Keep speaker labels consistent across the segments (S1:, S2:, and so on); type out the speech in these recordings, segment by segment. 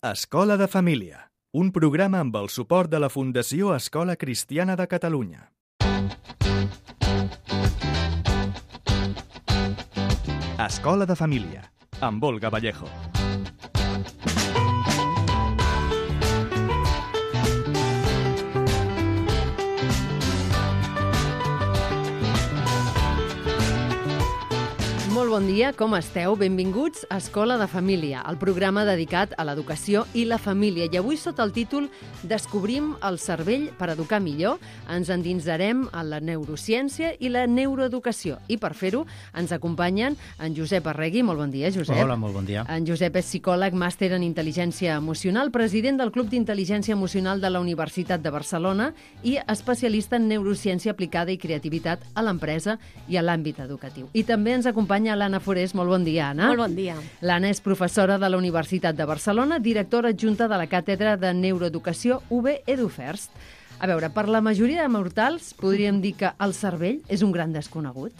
S1: Escola de Família, un programa amb el suport de la Fundació Escola Cristiana de Catalunya. Escola de Família, amb Olga Vallejo.
S2: Molt bon dia, com esteu? Benvinguts a Escola de Família, el programa dedicat a l'educació i la família. I avui, sota el títol Descobrim el cervell per educar millor, ens endinsarem a la neurociència i la neuroeducació. I per fer-ho ens acompanyen en Josep Arregui. Molt bon dia, Josep.
S3: Hola, molt bon dia.
S2: En Josep és psicòleg, màster en intel·ligència emocional, president del Club d'Intel·ligència Emocional de la Universitat de Barcelona i especialista en neurociència aplicada i creativitat a l'empresa i a l'àmbit educatiu. I també ens acompanya l'Anna Forés. Molt bon dia, Anna.
S4: Molt bon dia.
S2: L'Anna és professora de la Universitat de Barcelona, directora adjunta de la Càtedra de Neuroeducació UB EduFirst. A veure, per la majoria de mortals podríem dir que el cervell és un gran desconegut?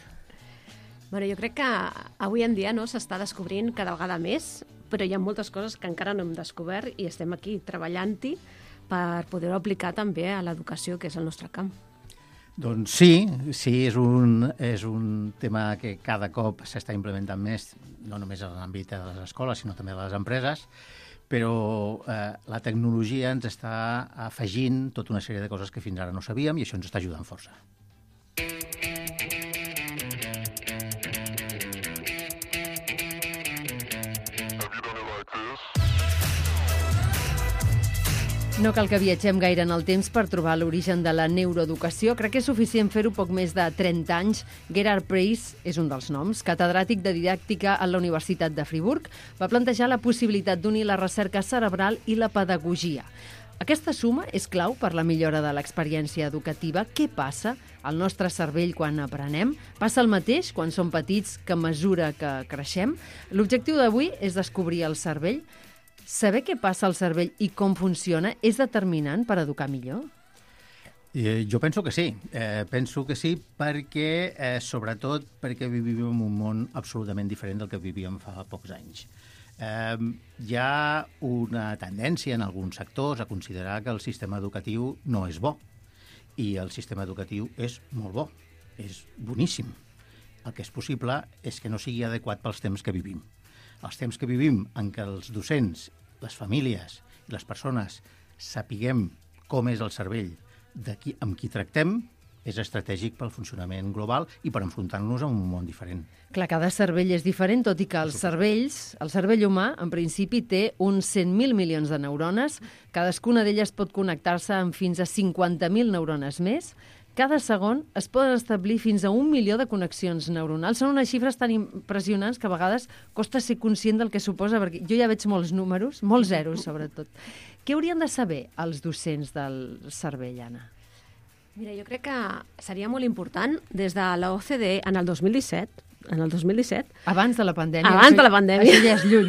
S4: Bueno, jo crec que avui en dia s'està descobrint cada vegada més, però hi ha moltes coses que encara no hem descobert i estem aquí treballant-hi per poder-ho aplicar també a l'educació, que és el nostre camp.
S3: Doncs sí, és un tema que cada cop s'està implementant més, no només en l'àmbit de les escoles, sinó també de les empreses, però la tecnologia ens està afegint tota una sèrie de coses que fins ara no sabíem i això ens està ajudant força.
S2: No cal que viatgem gaire en el temps per trobar l'origen de la neuroeducació. Crec que és suficient fer-ho poc més de 30 anys. Gerhard Preis és un dels noms. Catedràtic de didàctica a la Universitat de Friburg, va plantejar la possibilitat d'unir la recerca cerebral i la pedagogia. Aquesta suma és clau per la millora de l'experiència educativa. Què passa al nostre cervell quan aprenem? Passa el mateix quan som petits que a mesura que creixem? L'objectiu d'avui és descobrir el cervell. Saber què passa al cervell i com funciona és determinant per educar millor?
S3: Jo penso que sí. Penso que sí perquè, sobretot, perquè vivim en un món absolutament diferent del que vivíem fa pocs anys. Hi ha una tendència en alguns sectors a considerar que el sistema educatiu no és bo i el sistema educatiu és molt bo, és boníssim. El que és possible és que no sigui adequat pels temps que vivim. Els temps que vivim en què els docents, les famílies i les persones sapiguem com és el cervell amb qui tractem és estratègic pel funcionament global i per enfrontar-nos a un món diferent.
S2: Clar, cada cervell és diferent, tot i que el cervell humà, en principi, té uns 100.000 milions de neurones. Cadascuna d'elles pot connectar-se amb fins a 50.000 neurones més. Cada segon es poden establir fins a 1 milió de connexions neuronals. Són unes xifres tan impressionants que a vegades costa ser conscient del que suposa, perquè jo ja veig molts números, molts zeros, sobretot. Què haurien de saber els docents del cervell, Anna?
S4: Mira, jo crec que seria molt important des de la OCDE en el 2017,
S2: abans de la pandèmia.
S4: Això
S2: ja és lluny.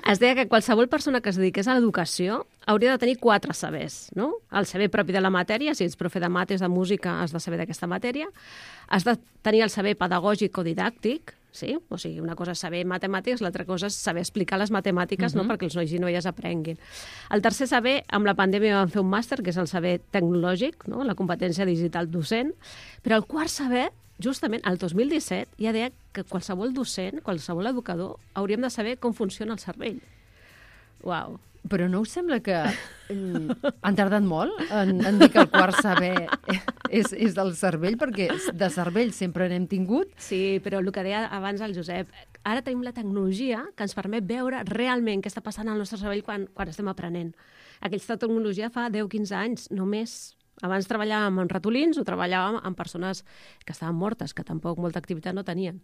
S4: Es deia que qualsevol persona que es dediqués a l'educació hauria de tenir 4 sabers, no? El saber propi de la matèria, si ets profe de mates, de música, has de saber d'aquesta matèria. Has de tenir el saber pedagògic o didàctic, sí? O sigui, una cosa és saber matemàtiques, l'altra cosa és saber explicar les matemàtiques, no? Perquè els nois i noies aprenguin. El tercer saber, amb la pandèmia vam fer un màster, que és el saber tecnològic, no? La competència digital docent, però el quart saber, justament el 2017, ja deia que qualsevol docent, qualsevol educador, hauríem de saber com funciona el cervell. Uau!
S2: Però no us sembla que han tardat molt en dir que el quart saber és del cervell? Perquè de cervell sempre n'hem tingut.
S4: Sí, però el que deia abans el Josep, ara tenim la tecnologia que ens permet veure realment què està passant al nostre cervell quan estem aprenent. Aquesta tecnologia fa 10-15 anys, només. Abans treballàvem amb ratolins o treballàvem amb persones que estaven mortes, que tampoc molta activitat no tenien.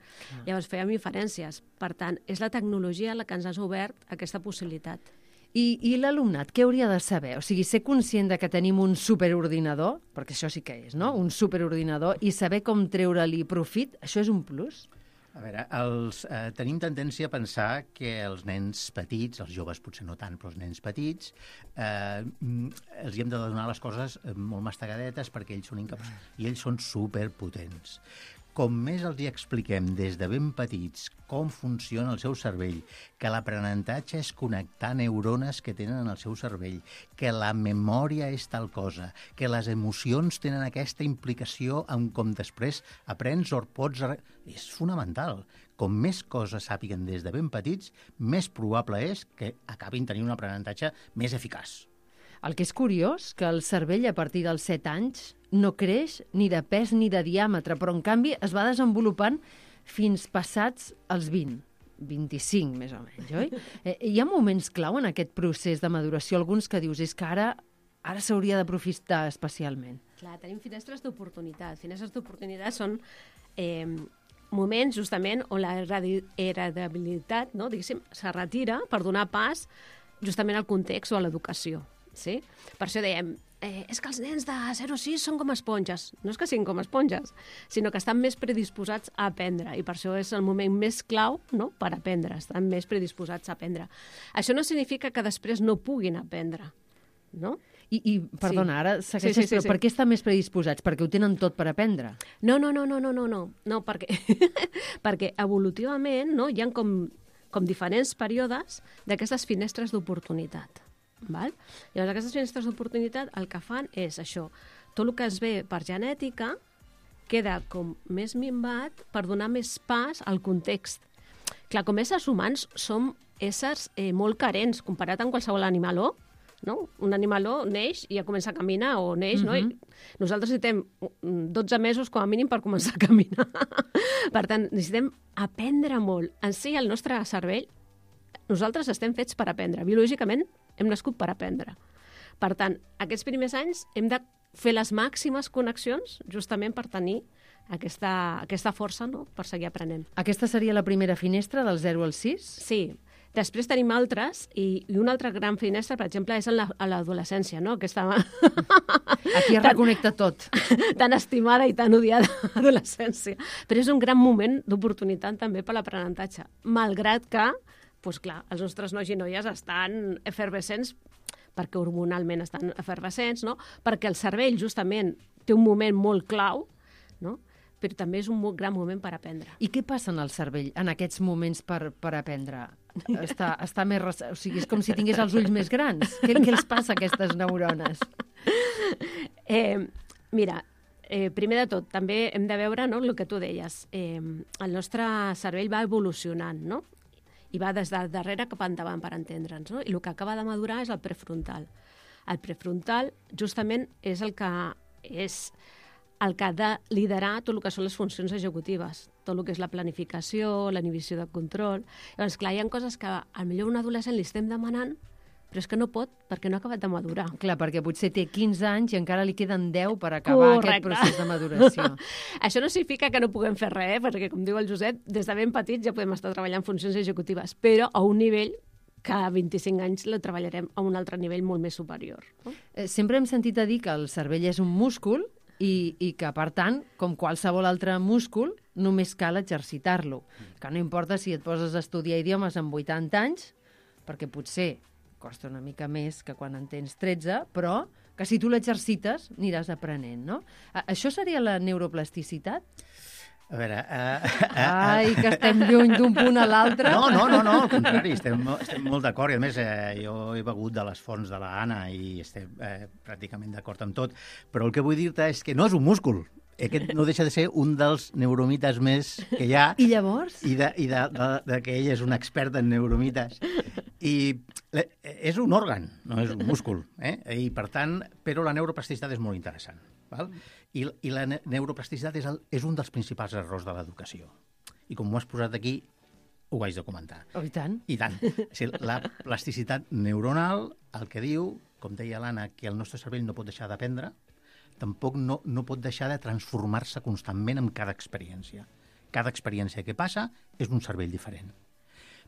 S4: Llavors fèiem inferències. Per tant, és la tecnologia la que ens ha obert aquesta possibilitat.
S2: I l'alumnat, què hauria de saber? O sigui, ser conscient de que tenim un superordinador, perquè això sí que és, no? Un superordinador, i saber com treure-li profit, això és un plus?
S3: A veure, tenim tendència a pensar que els nens petits, els joves potser no tant, però els nens petits, els hi hem de donar les coses molt mastegadetes perquè ells són incapaços. I ells són superpotents. com més els hi expliquem des de ben petits com funciona el seu cervell, que l'aprenentatge és connectar neurones que tenen en el seu cervell, que la memòria és tal cosa, que les emocions tenen aquesta implicació en com després aprens o pots... És fonamental. Com més coses sàpiguen des de ben petits, més probable és que acabin tenint un aprenentatge més eficaç.
S2: El que és curiós, que el cervell a partir dels 7 anys no creix ni de pes ni de diàmetre, però en canvi es va desenvolupant fins passats els 20, 25 més o menys, oi? Hi ha moments clau en aquest procés de maduració, alguns que dius, és que ara s'hauria d'aprofitar especialment.
S4: Clar, tenim finestres d'oportunitat. Finestres d'oportunitat són moments justament on la heredabilitat, no, diguéssim, se retira per donar pas justament al context o a l'educació. Sí? Per això dèiem, és que els nens de 0 a 6 són com esponges. No és que siguin com esponges, sinó que estan més predisposats a aprendre, i per això és el moment més clau, no?, per aprendre, estan més predisposats a aprendre. Això no significa que després no puguin aprendre, no?
S2: I perdona, ara segueixes,
S4: sí.
S2: però per què estan més predisposats? Perquè ho tenen tot per aprendre?
S4: No, perquè evolutivament, no, hi ha com diferents períodes d'aquestes finestres d'oportunitat. Val? Llavors, aquestes finestres d'oportunitat el que fan és això. Tot el que es ve per genètica queda com més minvat per donar més pas al context. Clar, com éssers humans som éssers molt carents comparat amb qualsevol animaló. No? Un animaló neix i ja comença a caminar, o neix, no? I nosaltres necessitem 12 mesos com a mínim per començar a caminar. Per tant, necessitem aprendre molt. En si, el nostre cervell, nosaltres estem fets per aprendre. Biològicament hem nascut per aprendre. Per tant, aquests primers anys hem de fer les màximes connexions justament per tenir aquesta força, no?, per seguir aprenent.
S2: Aquesta seria la primera finestra, del 0 al 6?
S4: Sí. Després tenim altres, i una altra gran finestra, per exemple, és a l'adolescència, no? Aquesta...
S2: Aquí es reconnecta tot.
S4: Tan estimada i tan odiada adolescència. Però és un gran moment d'oportunitat també per l'aprenentatge, malgrat que, doncs clar, els nostres nois i noies estan efervescents perquè hormonalment estan efervescents, no? Perquè el cervell justament té un moment molt clau, no? Però també és un gran moment per aprendre.
S2: I què passa en el cervell en aquests moments per aprendre? Està més... O sigui, és com si tingués els ulls més grans. Què els passa a aquestes neurones?
S4: Mira, primer de tot, també hem de veure, no, el que tu deies. El nostre cervell va evolucionant, no? I va des de darrere cap endavant, per entendre'ns, no? I el que acaba de madurar és el prefrontal. El prefrontal, justament, és el que ha de liderar tot el que són les funcions executives, tot el que és la planificació, la inhibició de control. Llavors, clar, hi ha coses que potser a un adolescent li estem demanant, però és que no pot, perquè no ha acabat de madurar.
S2: Clar, perquè potser té 15 anys i encara li queden 10 per acabar aquest procés de maduració.
S4: Això no significa que no puguem fer res, perquè, com diu el Josep, des de ben petits ja podem estar treballant funcions executives, però a un nivell que a 25 anys la treballarem a un altre nivell molt més superior. No?
S2: Sempre hem sentit a dir que el cervell és un múscul i que, per tant, com qualsevol altre múscul, només cal exercitar-lo. Que no importa si et poses a estudiar idiomes amb 80 anys, perquè potser costa una mica més que quan en tens 13, però que si tu l'exercites aniràs aprenent, no? Això seria la neuroplasticitat?
S3: A veure...
S2: Ai, que estem lluny d'un punt a l'altre.
S3: No, al contrari, estem molt d'acord. I a més, jo he begut de les fonts de l'Anna i estem pràcticament d'acord amb tot. Però el que vull dir-te és que no és un múscul. Aquest no deixa de ser un dels neuromites més que hi ha.
S2: I llavors?
S3: I de que ell és un expert en neuromites. I és un òrgan, no és un múscul. I, per tant, però la neuroplasticitat és molt interessant. Val? I la neuroplasticitat és un dels principals errors de l'educació. I com ho has posat aquí, ho haig de comentar.
S2: Oh, i tant.
S3: I tant. La plasticitat neuronal, el que diu, com deia l'Anna, que el nostre cervell no pot deixar d'aprendre, tampoc no pot deixar de transformar-se constantment amb cada experiència. Cada experiència que passa és un cervell diferent.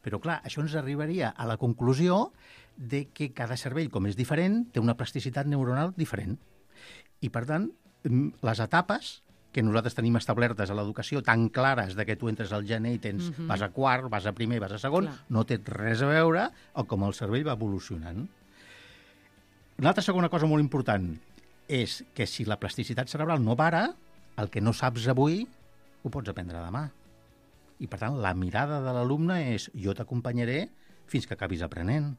S3: Però, clar, això ens arribaria a la conclusió de que cada cervell, com és diferent, té una plasticitat neuronal diferent. I, per tant, les etapes que nosaltres tenim establertes a l'educació tan clares de que tu entres al gener i tens, vas a quart, vas a primer, vas a segon, clar, no té res a veure amb com el cervell va evolucionant. Una altra segona cosa molt important és que si la plasticitat cerebral no para, el que no saps avui ho pots aprendre demà. I, per tant, la mirada de l'alumne és jo t'acompanyaré fins que acabis aprenent.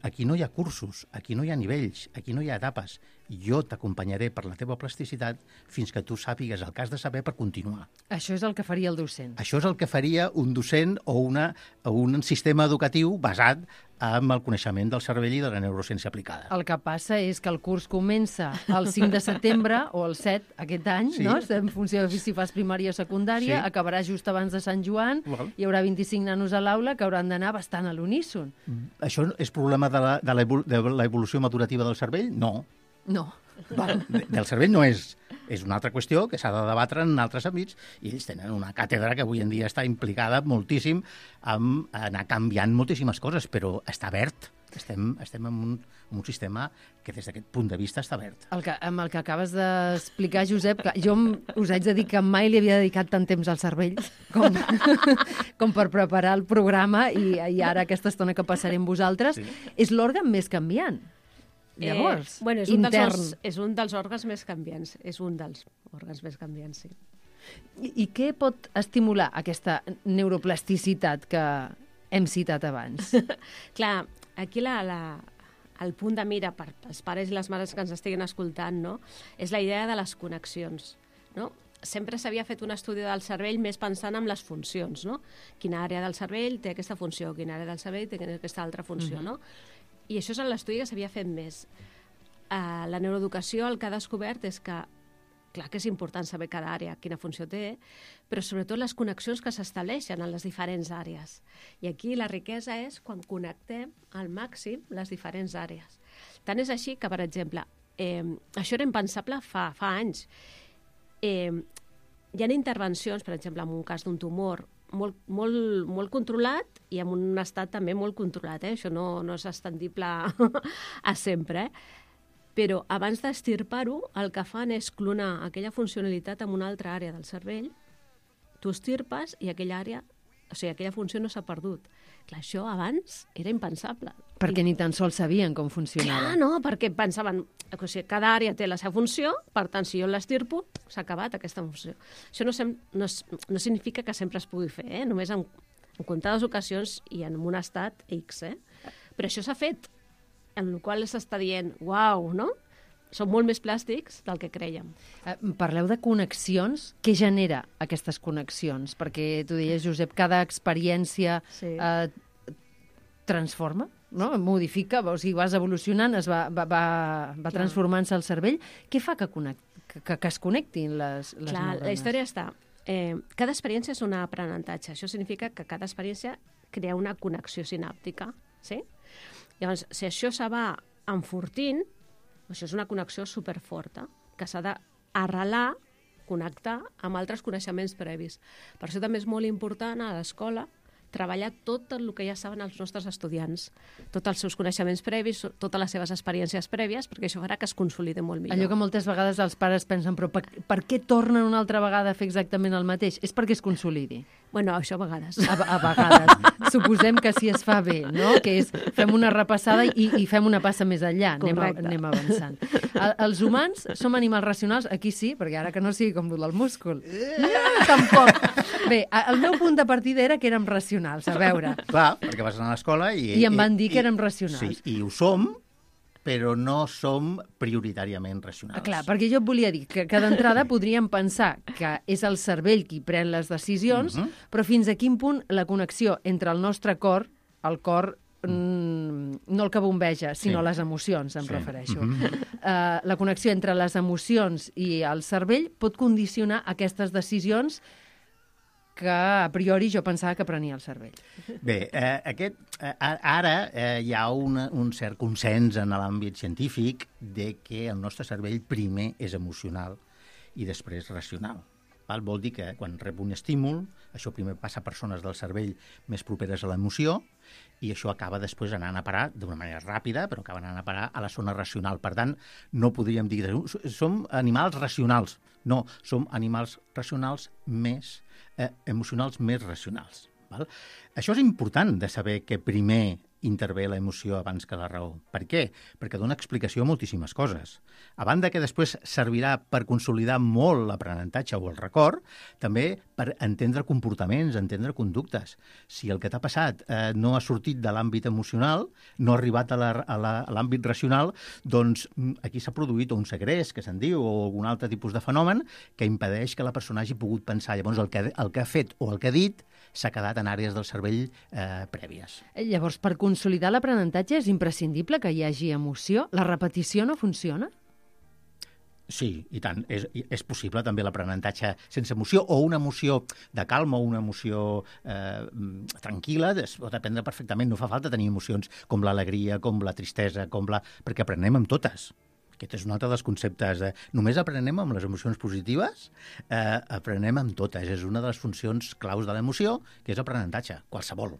S3: Aquí no hi ha cursos, aquí no hi ha nivells, aquí no hi ha etapes. Jo t'acompanyaré per la teva plasticitat fins que tu sàpigues el que has de saber per continuar.
S2: Això és el que faria el docent.
S3: Això és el que faria un docent o un sistema educatiu basat en el coneixement del cervell i de la neurociència aplicada.
S2: El que passa és que el curs comença el 5 de setembre o el 7 aquest any,
S3: Sí.
S2: no? En funció de si fas primària o secundària,
S3: Sí.
S2: acabarà just abans de Sant Joan, hi haurà 25 nanos a l'aula que hauran d'anar bastant a l'uníson.
S3: Això és problema de la evolució maturativa del cervell? No.
S2: No.
S3: Del cervell no és. És una altra qüestió que s'ha de debatre en altres àmbits i ells tenen una càtedra que avui en dia està implicada moltíssim en anar canviant moltíssimes coses, però està verd. Estem en un sistema que des d'aquest punt de vista està verd.
S2: Amb el que acabes d'explicar, Josep, que jo us haig de dir que mai li havia dedicat tant temps al cervell com per preparar el programa i ara aquesta estona que passarem vosaltres, és l'òrgan més canviant. Llavors,
S4: bueno,
S2: intern.
S4: És un dels òrgans més canviants. És un dels òrgans més canviants, sí.
S2: I què pot estimular aquesta neuroplasticitat que hem citat abans?
S4: Clar, aquí el punt de mira per als pares i les mares que ens estiguin escoltant, no? És la idea de les connexions, no? Sempre s'havia fet un estudi del cervell més pensant en les funcions, no? Quina àrea del cervell té aquesta funció, quina àrea del cervell té aquesta altra funció, no? I això és l'estudi que s'havia fet més. La neuroeducació el que ha descobert és que, clar que és important saber cada àrea, quina funció té, però sobretot les connexions que s'estableixen en les diferents àrees. I aquí la riquesa és quan connectem al màxim les diferents àrees. Tant és així que, per exemple, això era impensable fa anys. Hi ha intervencions, per exemple, en un cas d'un tumor, molt controlat i en un estat també molt controlat. Això no és estendible a sempre. Però abans d'estirpar-ho, el que fan és clonar aquella funcionalitat en una altra àrea del cervell, tu estirpes i aquella funció no s'ha perdut. Clar, això abans era impensable.
S2: Perquè ni tan sols sabien com funcionava.
S4: Clar, no, perquè pensaven que cada àrea té la seva funció, per tant, si jo l'estirpo, s'ha acabat aquesta funció. Això no significa que sempre es pugui fer, només en comptades ocasions i en un estat X. Però això s'ha fet, en el qual s'està dient, uau, no? Són molt més plàstics del que crèiem.
S2: Parleu de connexions. Què genera aquestes connexions? Perquè tu deies, Josep, cada experiència transforma, no? Modifica, o sigui, vas evolucionant, va transformant-se el cervell. Què fa que es connectin les neurones?
S4: La història està. Cada experiència és un aprenentatge. Això significa que cada experiència crea una connexió sinàptica. Sí? Llavors, si això se va enfortint, això és una connexió superforta, que s'ha d'arrelar, connectar amb altres coneixements previs. Per això també és molt important a l'escola treballar tot el que ja saben els nostres estudiants, tots els seus coneixements previs, totes les seves experiències prèvies, perquè això farà que es consolide molt millor.
S2: Allò que moltes vegades els pares pensen, però per què tornen una altra vegada a fer exactament el mateix? És perquè es consolidi.
S4: Bueno, això a vegades.
S2: A vegades. Suposem que si es fa bé, no? Que és, fem una repassada i fem una passa més enllà. Anem avançant. Els humans som animals racionals? Aquí sí, perquè ara que no sigui com el del múscul. Tampoc. Bé, el meu punt de partida era que érem racionals, a veure.
S3: Clar, perquè vas anar a l'escola i...
S2: I em van dir que érem racionals.
S3: Sí, i ho som, però no som prioritàriament racionals.
S2: Clar, perquè jo et volia dir que d'entrada podríem pensar que és el cervell qui pren les decisions, però fins a quin punt la connexió entre el nostre cor, el cor no el que bombeja, sinó les emocions, em refereixo. La connexió entre les emocions i el cervell pot condicionar aquestes decisions que a priori jo pensava que prenia el cervell.
S3: Bé, ara hi ha un cert consens en l'àmbit científic de que el nostre cervell primer és emocional i després racional. Vol dir que quan rep un estímul, això primer passa a persones del cervell més properes a l'emoció i això acaba després anant a parar d'una manera ràpida, però acaba anant a parar a la zona racional. Per tant, no podríem dir som animals racionals. No, som animals racionals emocionals més racionals. Val? Això és important de saber que primer intervé la emoció abans que la raó. Per què? Perquè dona explicació a moltíssimes coses. A banda que després servirà per consolidar molt l'aprenentatge o el record, també per entendre comportaments, entendre conductes. Si el que t'ha passat no ha sortit de l'àmbit emocional, no ha arribat a l'àmbit racional, doncs aquí s'ha produït un segrest, que se'n diu, o algun altre tipus de fenomen que impedeix que la persona hagi pogut pensar. Llavors, el que ha fet o el que ha dit s'ha quedat en àrees del cervell prèvies.
S2: Llavors, per consolidar l'aprenentatge és imprescindible que hi hagi emoció? La repetició no funciona?
S3: Sí, i tant. És possible també l'aprenentatge sense emoció o una emoció de calma o una emoció tranquil·la. Es pot aprendre perfectament. No fa falta tenir emocions com l'alegria, com la tristesa, perquè aprenem amb totes. Aquest és un altre dels conceptes. Només aprenem amb les emocions positives, aprenem amb totes. És una de les funcions claus de l'emoció, que és aprenentatge, qualsevol.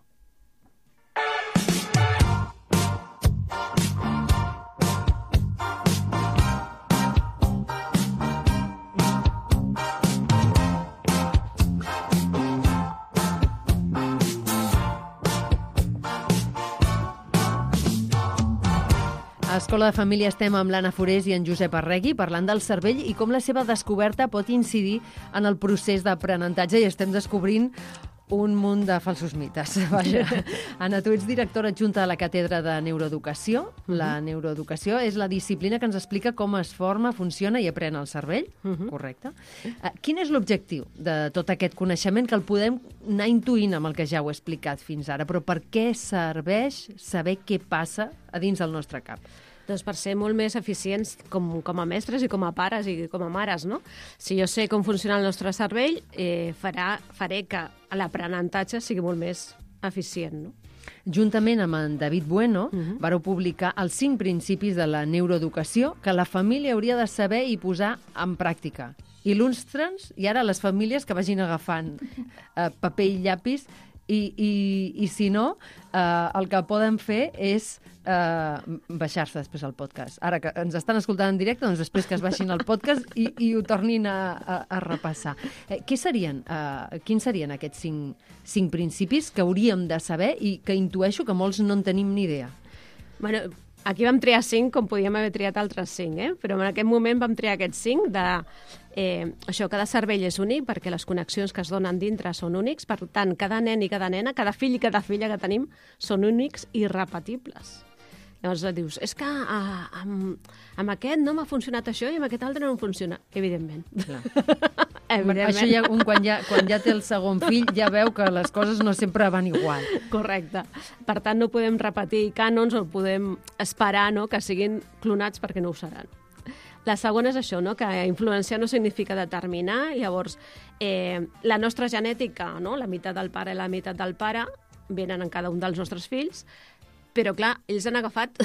S2: A Escola de Família estem amb l'Anna Forés i en Josep Arregui parlant del cervell i com la seva descoberta pot incidir en el procés d'aprenentatge, i estem descobrint un munt de falsos mites. Vaja. Anna, tu ets directora adjunta de la Càtedra de Neuroeducació. La neuroeducació és la disciplina que ens explica com es forma, funciona i aprèn el cervell. Correcte. Quin és l'objectiu de tot aquest coneixement, que el podem anar intuint amb el que ja heu explicat fins ara, però per què serveix saber què passa a dins del nostre cap?
S4: Doncs per ser molt més eficients com a mestres i com a pares i com a mares, no? Si jo sé com funciona el nostre cervell, faré que l'aprenentatge sigui molt més eficient, no?
S2: Juntament amb en David Bueno, vareu publicar els 5 principis de la neuroeducació que la família hauria de saber i posar en pràctica. Il·lustra'ns, i ara les famílies que vagin agafant paper i llapis, i si no, el que poden fer és baixar-se després al podcast. Ara que ens estan escoltant en directe, doncs després que es baixin al podcast i ho tornin a repassar. Quins serien aquests 5 principis que hauríem de saber i que intueixo que molts no en tenim ni idea?
S4: Bueno, aquí vam triar 5, com podíem haver triat altres 5, però en aquest moment vam triar aquests 5 de... això, cada cervell és únic perquè les connexions que es donen dintre són únics, per tant, cada nen i cada nena, cada fill i cada filla que tenim són únics i irrepetibles. Llavors dius, és que amb aquest no m'ha funcionat això i amb aquest altre no em funciona. Evidentment. Evidentment.
S2: Això ja, quan ja té el segon fill ja veu que les coses no sempre van igual.
S4: Correcte. Per tant, no podem repetir cànons o podem esperar, no, que siguin clonats perquè no ho seran. La segona és això, no? Que influenciar no significa determinar. Llavors, la nostra genètica, no? La meitat del pare i la meitat del pare, venen en cada un dels nostres fills, però, clar, ells han agafat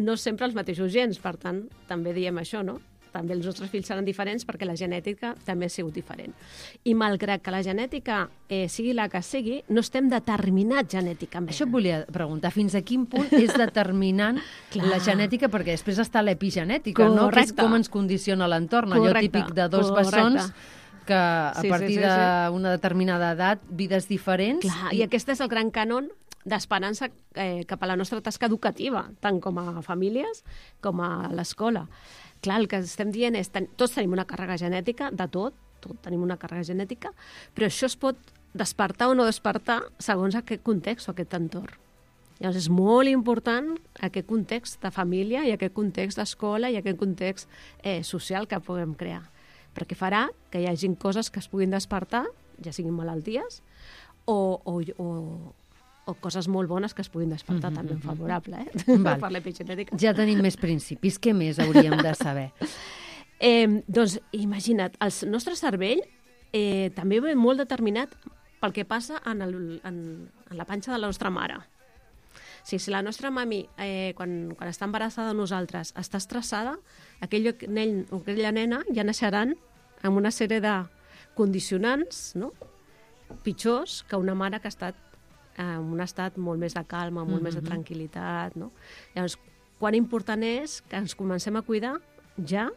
S4: no sempre els mateixos gens. Per tant, també diem això, no? També els nostres fills seran diferents perquè la genètica també ha sigut diferent. I malgrat que la genètica sigui la que sigui, no estem determinats genèticament.
S2: Això et volia preguntar, fins a quin punt és determinant la genètica, perquè després està l'epigenètica, no? Que és com ens condiciona l'entorn, allò típic de dos bessons que a partir d'una determinada edat, vides diferents...
S4: Clar, i aquest és el gran cànon d'esperança cap a la nostra tasca educativa, tant com a famílies com a l'escola. Clar, el que estem dient és tots tenim una càrrega genètica, de tot tenim una càrrega genètica, però això es pot despertar o no despertar segons aquest context o aquest entorn. Llavors és molt important aquest context de família i aquest context d'escola i aquest context social que puguem crear, perquè farà que hi hagin coses que es puguin despertar, ja siguin malalties, o coses molt bones que es puguin despertar també en favorable, per l'epigenètica.
S2: Ja tenim més principis. Què més hauríem de saber?
S4: Doncs imagina't, el nostre cervell també ve molt determinat pel que passa en la panxa de la nostra mare. Si la nostra mami, quan està embarassada de nosaltres, està estressada, aquell nen o aquella nena ja naixeran amb una sèrie de condicionants, no?, pitjors que una mare que ha estat en un estat molt més de calma, molt més de tranquil·litat, no? Llavors, quan important és que ens comencem a cuidar ja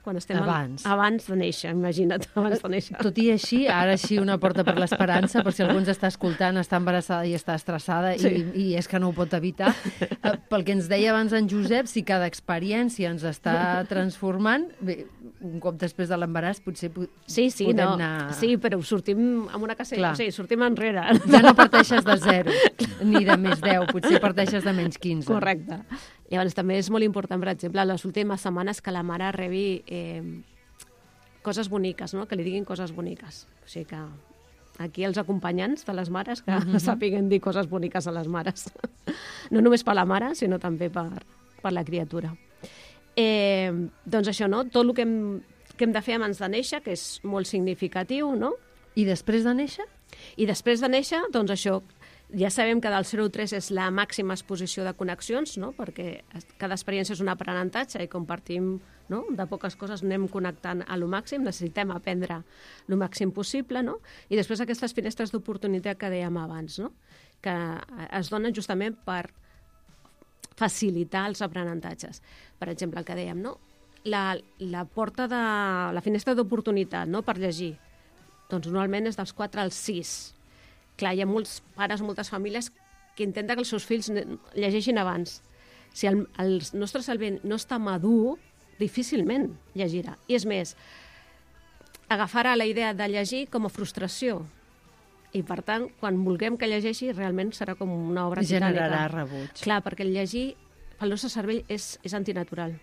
S4: quan estem
S2: abans
S4: de néixer, imagina't, abans de néixer.
S2: Tot i així, ara així una porta per l'esperança, per si algú ens està escoltant, està embarassada i està estressada i és que no ho pot evitar. Pel que ens deia abans en Josep, si cada experiència ens està transformant, bé, un cop després de l'embaràs potser podem anar...
S4: Sí, però sortim amb una casella, sortim enrere.
S2: Ja no parteixes de 0, ni de més 10, potser parteixes de menys 15.
S4: Correcte. Llavors, també és molt important, per exemple, les últimes setmanes que la mare rebi coses boniques, no? Que li diguin coses boniques. O sigui que aquí els acompanyants de les mares que sàpiguen dir coses boniques a les mares. No només per la mare, sinó també per la criatura. Doncs això, no? Tot el que hem de fer abans de néixer, que és molt significatiu, no?
S2: I després de néixer?
S4: I després de néixer, doncs això, ja sabem que del 0 al 3 és la màxima exposició de connexions, no? Perquè cada experiència és un aprenentatge i compartim, no? De poques coses anem connectant a lo màxim, necessitem aprendre lo màxim possible, no? I després aquestes finestres d'oportunitat que dèiem abans, no? Que es donen justament per facilitar els aprenentatges. Per exemple, el que dèiem, no? La porta de la finestra d'oportunitat, no? Per llegir, doncs normalment és dels 4 als 6. Clar, hi ha molts pares, moltes famílies que intenten que els seus fills llegeixin abans. Si el nostre cervell no està madur, difícilment llegirà. I és més, agafarà la idea de llegir com a frustració. I, per tant, quan vulguem que llegeixi, realment serà com una obra titànica.
S2: Generarà rebuig.
S4: Clar, perquè el llegir, pel nostre cervell, és antinatural.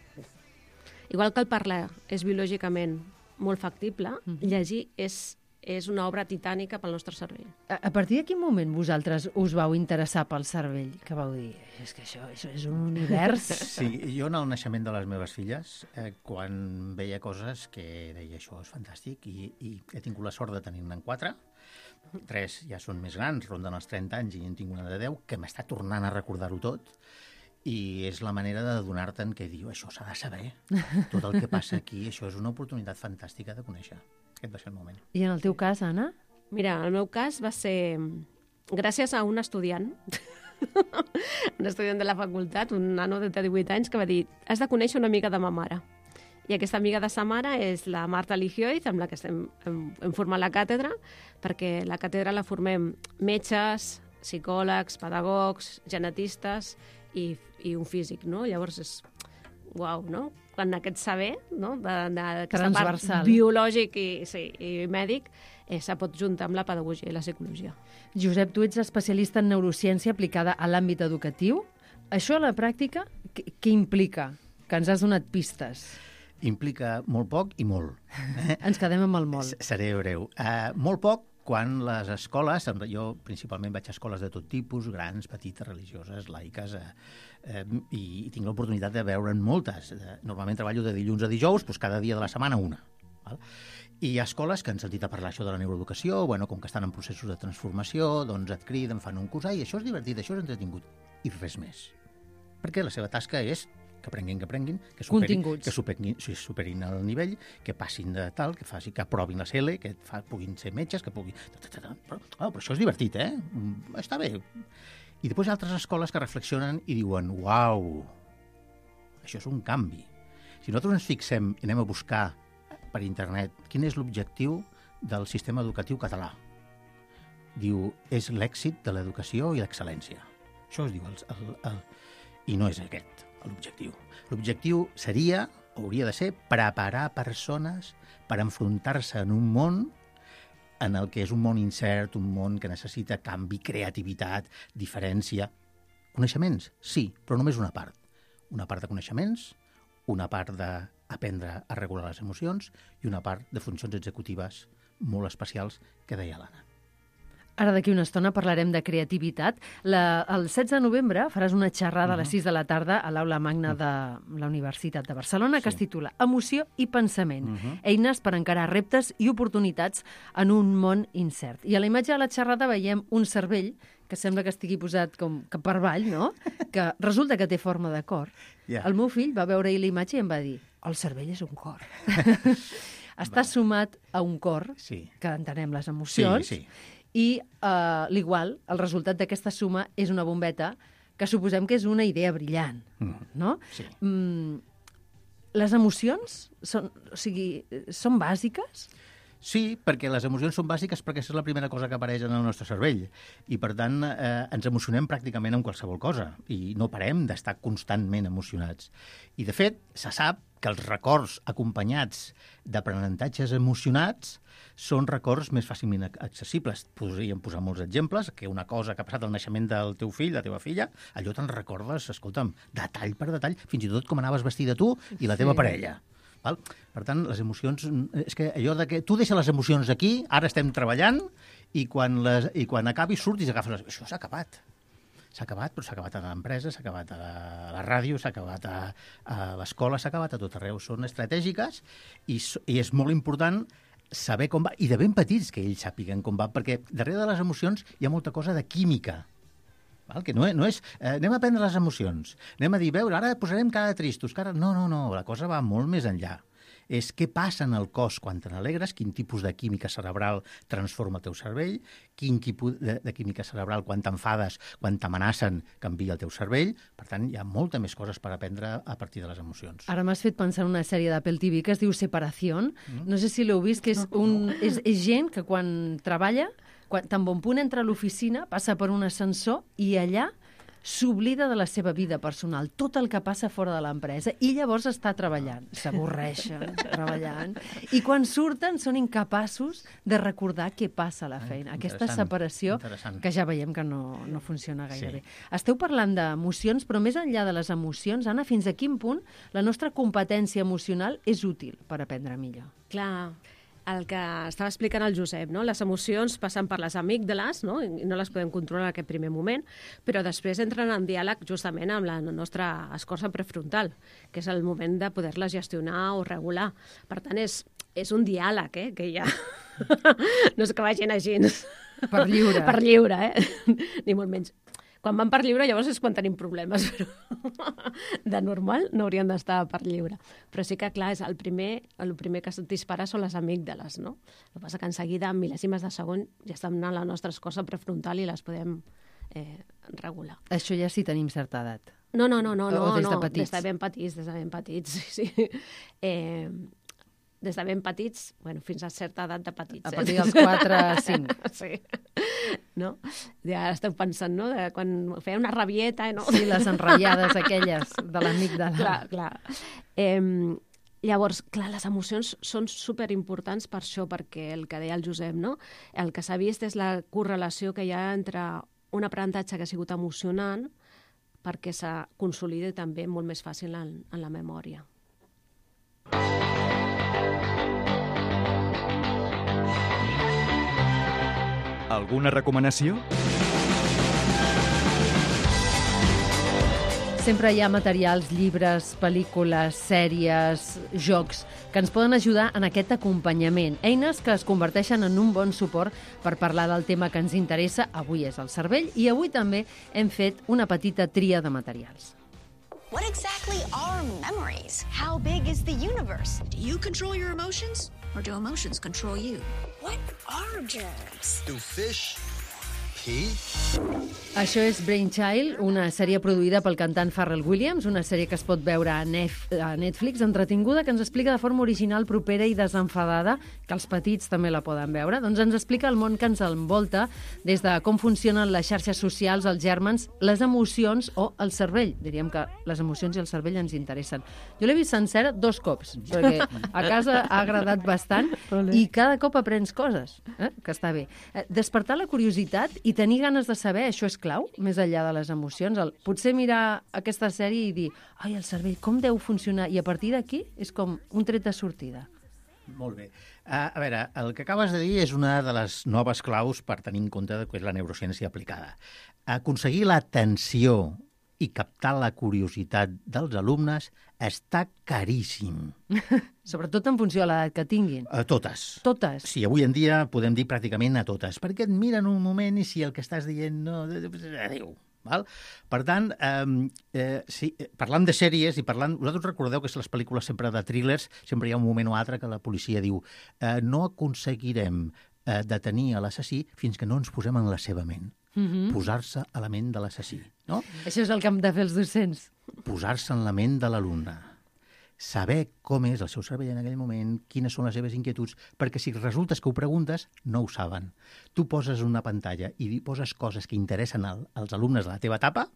S4: Igual que el parlar és biològicament molt factible, llegir és una obra titànica pel nostre cervell.
S2: A partir de quin moment vosaltres us vau interessar pel cervell? Que vau dir, és que això és un univers...
S3: Sí, jo en el naixement de les meves filles, quan veia coses que deia això és fantàstic i he tingut la sort de tenir-ne 4, 3 ja són més grans, ronden els 30 anys i en tinc una de 10, que m'està tornant a recordar-ho tot, i és la manera de donar-te'n que diu, això s'ha de saber, tot el que passa aquí, això és una oportunitat fantàstica de conèixer. Aquest va ser el moment.
S2: I en el teu cas, Anna?
S4: Mira, el meu cas va ser gràcies a un estudiant, un estudiant de la facultat, un nano de 18 anys, que va dir, has de conèixer una amiga de ma mare. I aquesta amiga de sa mare és la Marta Ligioiz, amb la que hem format la càtedra, perquè la càtedra la formem metges, psicòlegs, pedagogs, genetistes i un físic, no? Llavors és... Uau, no? Quan aquest saber, no? D'aquesta part biològic i mèdic se pot juntar amb la pedagogia i la psicologia.
S2: Josep, tu ets especialista en neurociència aplicada a l'àmbit educatiu. Això a la pràctica, què implica? Que ens has donat pistes.
S3: Implica molt poc i molt.
S2: Ens quedem amb el molt.
S3: Seré breu. Molt poc quan les escoles, jo principalment vaig a escoles de tot tipus, grans, petites, religioses, laiques, i tinc l'oportunitat de veure'n moltes. Normalment treballo de dilluns a dijous, doncs cada dia de la setmana una. Val? I hi ha escoles que han sentit a parlar això de la neuroeducació, bueno, com que estan en processos de transformació, doncs et criden, fan un curs, i això és divertit, això és entretingut, i res més. Perquè la seva tasca és que aprenguin, que superin el nivell, que passin de tal, que aprovin la CL, que puguin ser metges, que puguin... Però això és divertit, eh? Està bé. I després hi ha altres escoles que reflexionen i diuen, uau, això és un canvi. Si nosaltres ens fixem i anem a buscar per internet quin és l'objectiu del sistema educatiu català, diu, és l'èxit de l'educació i l'excel·lència. Això es diu, i no és aquest l'objectiu. L'objectiu seria, hauria de ser, preparar persones per enfrontar-se en un món en el que és un món incert, un món que necessita canvi, creativitat, diferència. Coneixements, sí, però només una part. Una part de coneixements, una part d'aprendre a regular les emocions i una part de funcions executives molt especials que deia l'Anna.
S2: Ara d'aquí una estona parlarem de creativitat. El 16 de novembre faràs una xerrada a les 6 de la tarda a l'Aula Magna de la Universitat de Barcelona que es titula Emoció i pensament. Eines per encarar reptes i oportunitats en un món incert. I a la imatge de la xerrada veiem un cervell que sembla que estigui posat com que per avall, no? Que resulta que té forma de cor. El meu fill va veure-hi la imatge i em va dir el cervell és un cor. Està sumat a un cor, que entenem les emocions, i l'igual, el resultat d'aquesta suma és una bombeta que suposem que és una idea brillant, no?
S3: Sí.
S2: Les emocions són bàsiques?
S3: Sí, perquè les emocions són bàsiques perquè és la primera cosa que apareix en el nostre cervell i, per tant, ens emocionem pràcticament amb qualsevol cosa i no parem d'estar constantment emocionats. I, de fet, se sap que els records acompanyats d'aprenentatges emocionats són records més fàcilment accessibles. Podríem posar molts exemples, que una cosa que ha passat al naixement del teu fill, la teva filla, allò te'n recordes, escolta'm, detall per detall, fins i tot com anaves vestida tu i la teva parella. Val? Per tant, les emocions... És que allò de que tu deixes les emocions aquí, ara estem treballant, i quan acabis surtis i agafes... Això s'ha acabat. S'ha acabat, però s'ha acabat a l'empresa, s'ha acabat a la ràdio, s'ha acabat a l'escola, s'ha acabat a tot arreu. Són estratègiques i és molt important saber com va, i de ben petits que ells sàpiguen com va, perquè darrere de les emocions hi ha molta cosa de química. Val? Que no és anem a aprendre les emocions, anem a dir, veure, ara posarem cara de tristos, cara... No, la cosa va molt més enllà. És què passa en el cos quan te n'alegres, quin tipus de química cerebral transforma el teu cervell, quin tipus de química cerebral quan t'enfades, quan t'amenacen, canvia el teu cervell. Per tant, hi ha molta més coses per aprendre a partir de les emocions.
S2: Ara m'has fet pensar en una sèrie d'Apple TV que es diu Separación. No sé si l'heu vist, que és gent que quan treballa, tan bon punt entra a l'oficina, passa per un ascensor i allà s'oblida de la seva vida personal, tot el que passa fora de l'empresa, i llavors està treballant. S'avorreixen treballant. I quan surten són incapaços de recordar què passa a la feina. Aquesta separació que ja veiem que no funciona gaire bé. Esteu parlant d'emocions, però més enllà de les emocions, Anna, fins a quin punt la nostra competència emocional és útil per aprendre millor?
S4: Clar, el que estava explicant el Josep, no? Les emocions passen per les amígdales, no? I no les podem controlar en aquest primer moment, però després entren en diàleg justament amb la nostra escorça prefrontal, que és el moment de poder-les gestionar o regular. Per tant, és un diàleg, que hi ha. No és que vagin així.
S2: Per lliure.
S4: Per lliure, ni molt menys. Quan van per lliure, llavors és quan tenim problemes, però de normal no haurien d'estar per lliure. Però sí que, clar, és el primer que se't dispara són les amígdales, no? El que passa que en seguida, en mil·lèsimes de segon, ja estan anant la nostra escorça prefrontal i les podem regular.
S2: Això ja sí tenim certa edat.
S4: No,
S2: O des de petits?
S4: Des de ben petits, sí. Des de ben petits, fins a certa edat de petits.
S2: A partir dels 4 a 5.
S4: Sí. No? Ja esteu pensant, no?, de quan feia una rabieta, no?
S2: Sí, les enrotllades aquelles de l'amígdala.
S4: Clar. Llavors, clar, les emocions són superimportants per això, perquè el que deia el Josep, no? El que s'ha vist és la correlació que hi ha entre un aprenentatge que ha sigut emocionant perquè se consolida també molt més fàcil en la memòria.
S1: Alguna recomanació?
S2: Sempre hi ha materials, llibres, pel·lícules, sèries, jocs, que ens poden ajudar en aquest acompanyament. Eines que es converteixen en un bon suport per parlar del tema que ens interessa. Avui és el cervell i avui també hem fet una petita tria de materials.
S5: What exactly are memories? How big is the universe? Do you control your emotions? Or do emotions control you? What are germs?
S6: Do fish pee?
S2: Això és Brainchild, una sèrie produïda pel cantant Pharrell Williams, una sèrie que es pot veure a Netflix, entretinguda, que ens explica de forma original, propera i desenfadada, que els petits també la poden veure. Doncs ens explica el món que ens envolta, des de com funcionen les xarxes socials, els gèrmens, les emocions o el cervell. Diríem que les emocions i el cervell ens interessen. Jo l'he vist sencera 2 cops, perquè a casa ha agradat bastant i cada cop aprens coses, que està bé. Despertar la curiositat i tenir ganes de saber, això és clau, més enllà de les emocions. Potser mirar aquesta sèrie i dir, ai, el cervell, com deu funcionar? I a partir d'aquí és com un tret de sortida.
S3: Molt bé. A veure, el que acabes de dir és una de les noves claus per tenir en compte que és la neurociència aplicada. Aconseguir l'atenció i captar la curiositat dels alumnes està caríssim.
S2: Sobretot en funció de l'edat que tinguin.
S3: A totes.
S2: Totes?
S3: Sí, avui en dia podem dir pràcticament a totes, perquè et miren un moment i si el que estàs dient no... Adéu. Val? Per tant, parlant de sèries i parlant... Vosaltres recordeu que les pel·lícules sempre de thrillers, sempre hi ha un moment o altre que la policia diu no aconseguirem detenir l'assassí fins que no ens posem en la seva ment. Posar-se a la ment de l'assassí. No?
S2: Això és el que hem de fer els docents.
S3: Posar-se en la ment de l'alumne. saber com és el seu cervell en aquell moment, quines són les seves inquietuds, perquè si resultes que ho preguntes, no ho saben. Tu poses una pantalla i poses coses que interessen als alumnes de la teva etapa,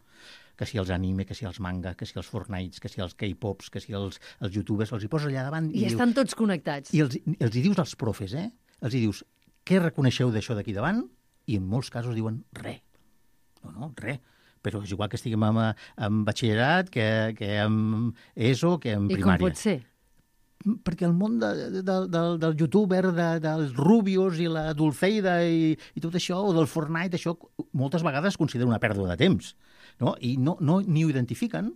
S3: que si els anime, que si els manga, que si els Fortnites, que si els K-pops, que si els youtubers, els hi poses allà davant
S2: I estan tots connectats.
S3: I els hi dius als profes, els hi dius, què reconeixeu d'això d'aquí davant? I en molts casos diuen res. No, res. Però és igual que estiguem en batxillerat, que en ESO, que en primària.
S2: I com pot ser?
S3: Perquè el món del youtuber, dels Rubios i la Dulceida i tot això, o del Fortnite, això moltes vegades es considera una pèrdua de temps, no? I no ni ho identifiquen.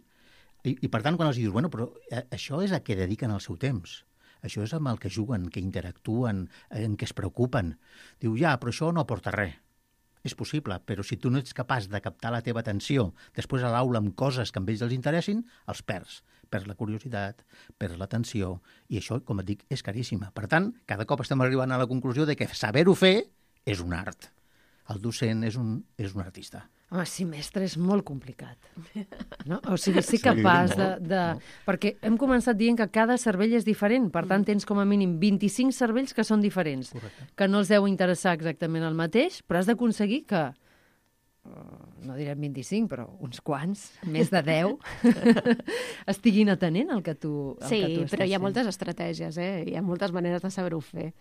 S3: I per tant, quan els dius, bueno, però això és a què dediquen el seu temps. Això és amb el que juguen, que interactuen, en què es preocupen. Diu, ja, però això no aporta res. És possible, però si tu no ets capaç de captar la teva atenció després a l'aula amb coses que a ells els interessin, els perds. Perds la curiositat, perds l'atenció, i això, com et dic, és caríssima. Per tant, cada cop estem arribant a la conclusió de que saber-ho fer és un art. El docent és un artista.
S2: Home, sí, mestre, és molt complicat. No? O sigui, ser capaç de... Perquè hem començat dient que cada cervell és diferent, per tant, tens com a mínim 25 cervells que són diferents,
S3: Correcte.
S2: que no els deu interessar exactament el mateix, però has d'aconseguir que, no direm 25, però uns quants, més de 10, estiguin atenent al que tu estàs fent.
S4: Sí, però hi ha moltes estratègies, hi ha moltes maneres de saber-ho fer.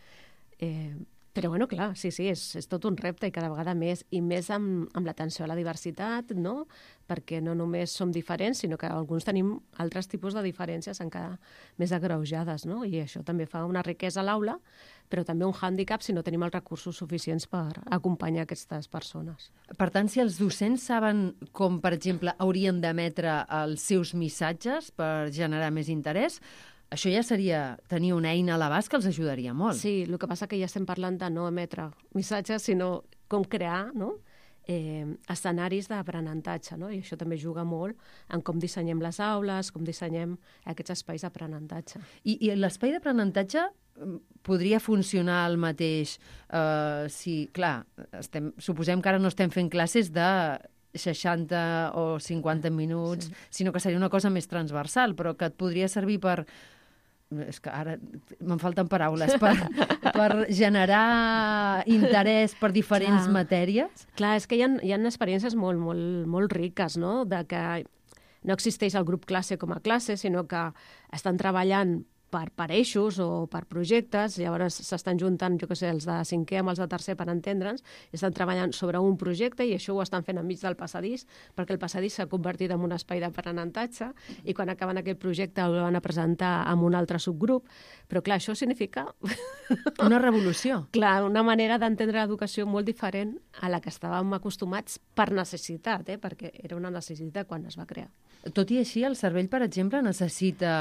S4: Però, bueno, clar, sí, és tot un repte i cada vegada més, i més amb l'atenció a la diversitat, no? Perquè no només som diferents, sinó que alguns tenim altres tipus de diferències encara més agreujades, no? I això també fa una riquesa a l'aula, però també un hàndicap si no tenim els recursos suficients per acompanyar aquestes persones.
S2: Per tant, si els docents saben com, per exemple, haurien d'emetre els seus missatges per generar més interès, això ja seria tenir una eina a l'abast que els ajudaria molt.
S4: Sí, el que passa que ja estem parlant de no emetre missatges, sinó com crear, no?, escenaris d'aprenentatge, no? I això també juga molt en com dissenyem les aules, com dissenyem aquests espais d'aprenentatge.
S2: I l'espai d'aprenentatge podria funcionar el mateix si, clar, suposem que ara no estem fent classes de 60 o 50 minuts, sinó que seria una cosa més transversal, però que et podria servir per... És que ara me'n falten paraules per generar interès per diferents matèries.
S4: Clar, és que hi ha experiències molt, molt, molt riques, no?, de que no existeix el grup classe com a classe, sinó que estan treballant per eixos o per projectes, llavors s'estan juntant, jo què sé, els de 5è amb els de 3è per entendre'ns, i estan treballant sobre un projecte i això ho estan fent enmig del passadís, perquè el passadís s'ha convertit en un espai d'aprenentatge i quan acaben aquest projecte el van a presentar amb un altre subgrup, però clar, això significa...
S2: Una revolució.
S4: Clar, una manera d'entendre l'educació molt diferent a la que estàvem acostumats per necessitat, perquè era una necessitat quan es va crear.
S2: Tot i així, el cervell, per exemple, necessita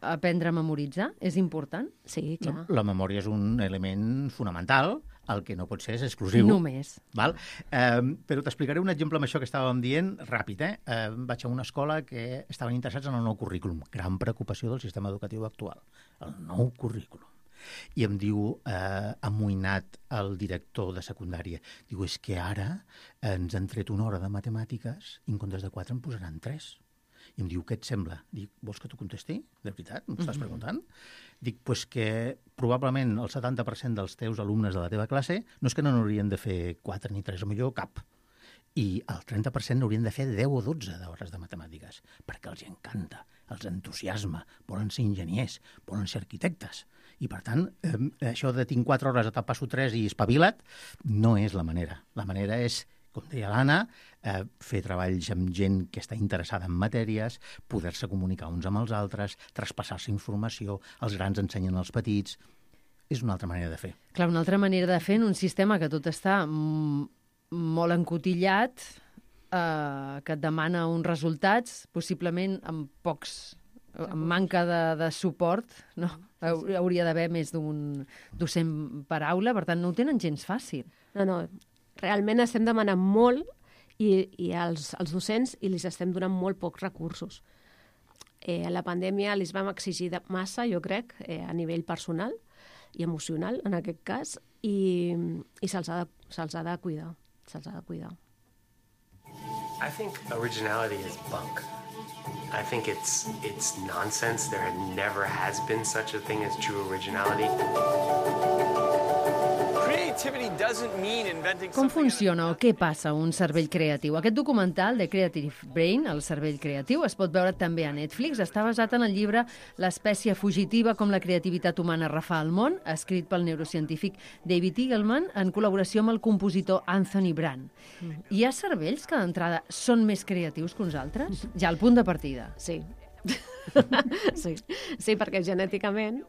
S2: aprendre a memoritzar? És important?
S4: Sí, clar.
S3: La memòria és un element fonamental, el que no pot ser és exclusiu.
S2: Només.
S3: Val? Però t'explicaré un exemple amb això que estàvem dient ràpid. Vaig a una escola que estaven interessats en el nou currículum. Gran preocupació del sistema educatiu actual. El nou currículum. I em diu, amoïnat, el director de secundària, diu, és que ara ens han tret una hora de matemàtiques i en comptes de 4 en posaran 3. I em diu, què et sembla? Dic, vols que t'ho contesti? De veritat? M'ho estàs preguntant? Dic, doncs que probablement el 70% dels teus alumnes de la teva classe no és que no n'haurien de fer 4 ni 3, o millor cap. I el 30% n'haurien de fer 10 o 12 d'hores de matemàtiques, perquè els encanta, els entusiasma, volen ser enginyers, volen ser arquitectes. I, per tant, això de tinc 4 hores, te'n passo 3 i espavila't, no és la manera. La manera és, com deia l'Anna, fer treballs amb gent que està interessada en matèries, poder-se comunicar uns amb els altres, traspassar-se informació, els grans ensenyen als petits. És una altra manera de fer.
S2: Clar, una altra manera de fer en un sistema que tot està molt encotillat, que et demana uns resultats, possiblement amb amb manca de suport, no? Hauria d'haver més d'un docent per aula, per tant, no ho tenen gens fàcil.
S4: No, realment estem demanant molt i als docents i els estem donant molt pocs recursos. A la pandèmia els vam exigir massa, jo crec, a nivell personal i emocional, en aquest cas, i se'ls ha de cuidar. Se'ls ha de cuidar.
S7: I think originality is bunk. I think it's nonsense. There never has been such a thing as true originality.
S2: Com funciona o què passa a un cervell creatiu? Aquest documental de Creative Brain, el cervell creatiu, es pot veure també a Netflix. Està basat en el llibre L'espècie fugitiva, com la creativitat humana refà el món, escrit pel neurocientífic David Eagleman en col·laboració amb el compositor Anthony Brand. Hi ha cervells que d'entrada són més creatius que uns altres? Ja al punt de partida.
S4: Sí. Sí, perquè genèticament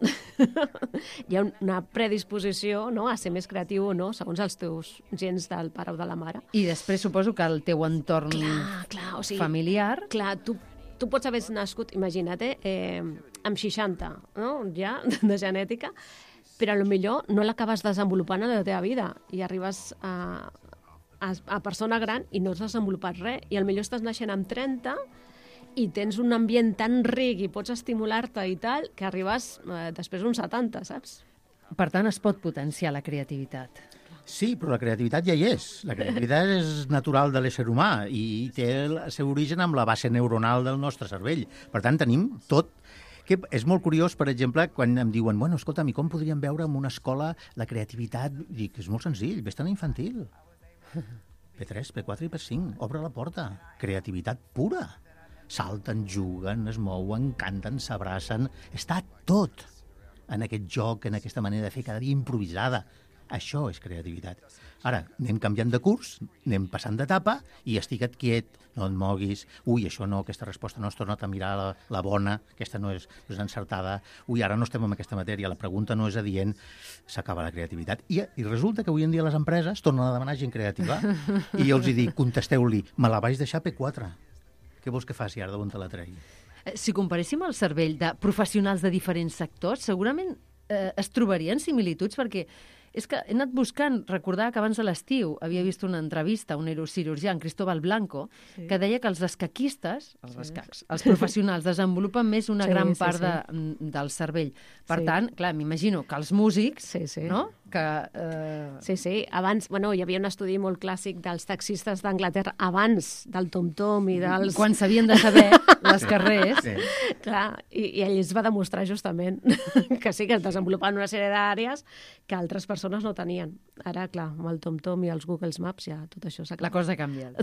S4: hi ha una predisposició, no?, a ser més creatiu o no, segons els teus gens del pare o de la mare.
S2: I després suposo que el teu entorn
S4: o sigui,
S2: familiar...
S4: Clar, tu pots haver nascut, imagina't, amb 60, no?, ja, de genètica, però potser no l'acabes desenvolupant a la teva vida i arribes a persona gran i no has desenvolupat res. I potser estàs naixent amb 30 i tens un ambient tan ric i pots estimular-te i tal, que arribes després d'uns 70, saps?
S2: Per tant, es pot potenciar la creativitat.
S3: Sí, però la creativitat ja hi és. La creativitat és natural de l'ésser humà i té el seu origen amb la base neuronal del nostre cervell. Per tant, tenim tot. Que és molt curiós, per exemple, quan em diuen bueno, escolta'm, i com podríem veure en una escola la creativitat? Dic, és molt senzill, vés-te'n a infantil. P3, P4 i P5, obre la porta. Creativitat pura. Salten, juguen, es mouen, canten, s'abracen... Està tot en aquest joc, en aquesta manera de fer cada dia improvisada. Això és creativitat. Ara, anem canviant de curs, anem passant d'etapa i estigue't quiet, no et moguis. Ui, això no, aquesta resposta no, has tornat a mirar la bona, aquesta no és encertada. Ui, ara no estem en aquesta matèria, la pregunta no és adient. S'acaba la creativitat. I resulta que avui en dia les empreses tornen a demanar gent creativa. I jo els dic, contesteu-li, me la vaig deixar P4. Què vols que faci ara d'on te la tregui?
S2: Si comparéssim el cervell de professionals de diferents sectors, segurament es trobarien similituds, perquè és que he anat buscant, recordar que abans de l'estiu havia vist una entrevista a un neurocirurgià, en Cristóbal Blanco, que deia que els escaquistes, els professionals, desenvolupen més una gran part del cervell. Per tant, clar, m'imagino que els músics, no?
S4: Sí, abans, hi havia un estudi molt clàssic dels taxistes d'Anglaterra abans del tom-tom i dels...
S2: Quan s'havien de saber les carrers.
S4: Clar, i ell es va demostrar justament que sí, que es desenvolupaven una sèrie d'àrees que altres persones no tenien. Ara, clar, amb el tom-tom i els Google Maps ja tot això s'ha acabat.
S2: La cosa ha canviat.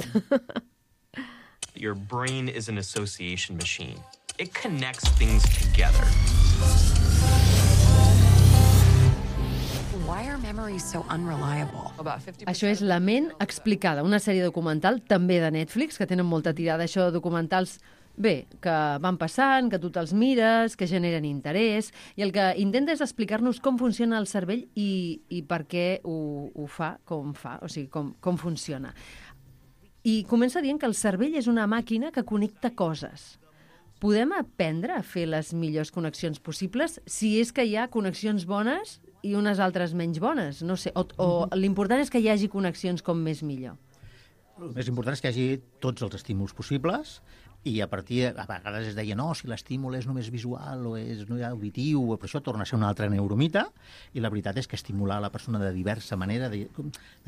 S8: Your brain is an association machine. It connects things together.
S9: Why are memories so unreliable?
S2: Això és La ment explicada, una sèrie documental també de Netflix, que tenen molta tirada, això de documentals que van passant, que tu te'ls mires, que generen interès, i el que intenta és explicar-nos com funciona el cervell i per què ho fa, o sigui, com funciona. I comença dient que el cervell és una màquina que connecta coses. Podem aprendre a fer les millors connexions possibles si és que hi ha connexions bones i unes altres menys bones, no sé, o l'important és que hi hagi connexions com més millor.
S3: El més important és que hi hagi tots els estímuls possibles i a vegades es deia, no, si l'estímul és només visual o és auditiu, però això torna a ser una altra neuromita, i la veritat és que estimular la persona de diversa manera, de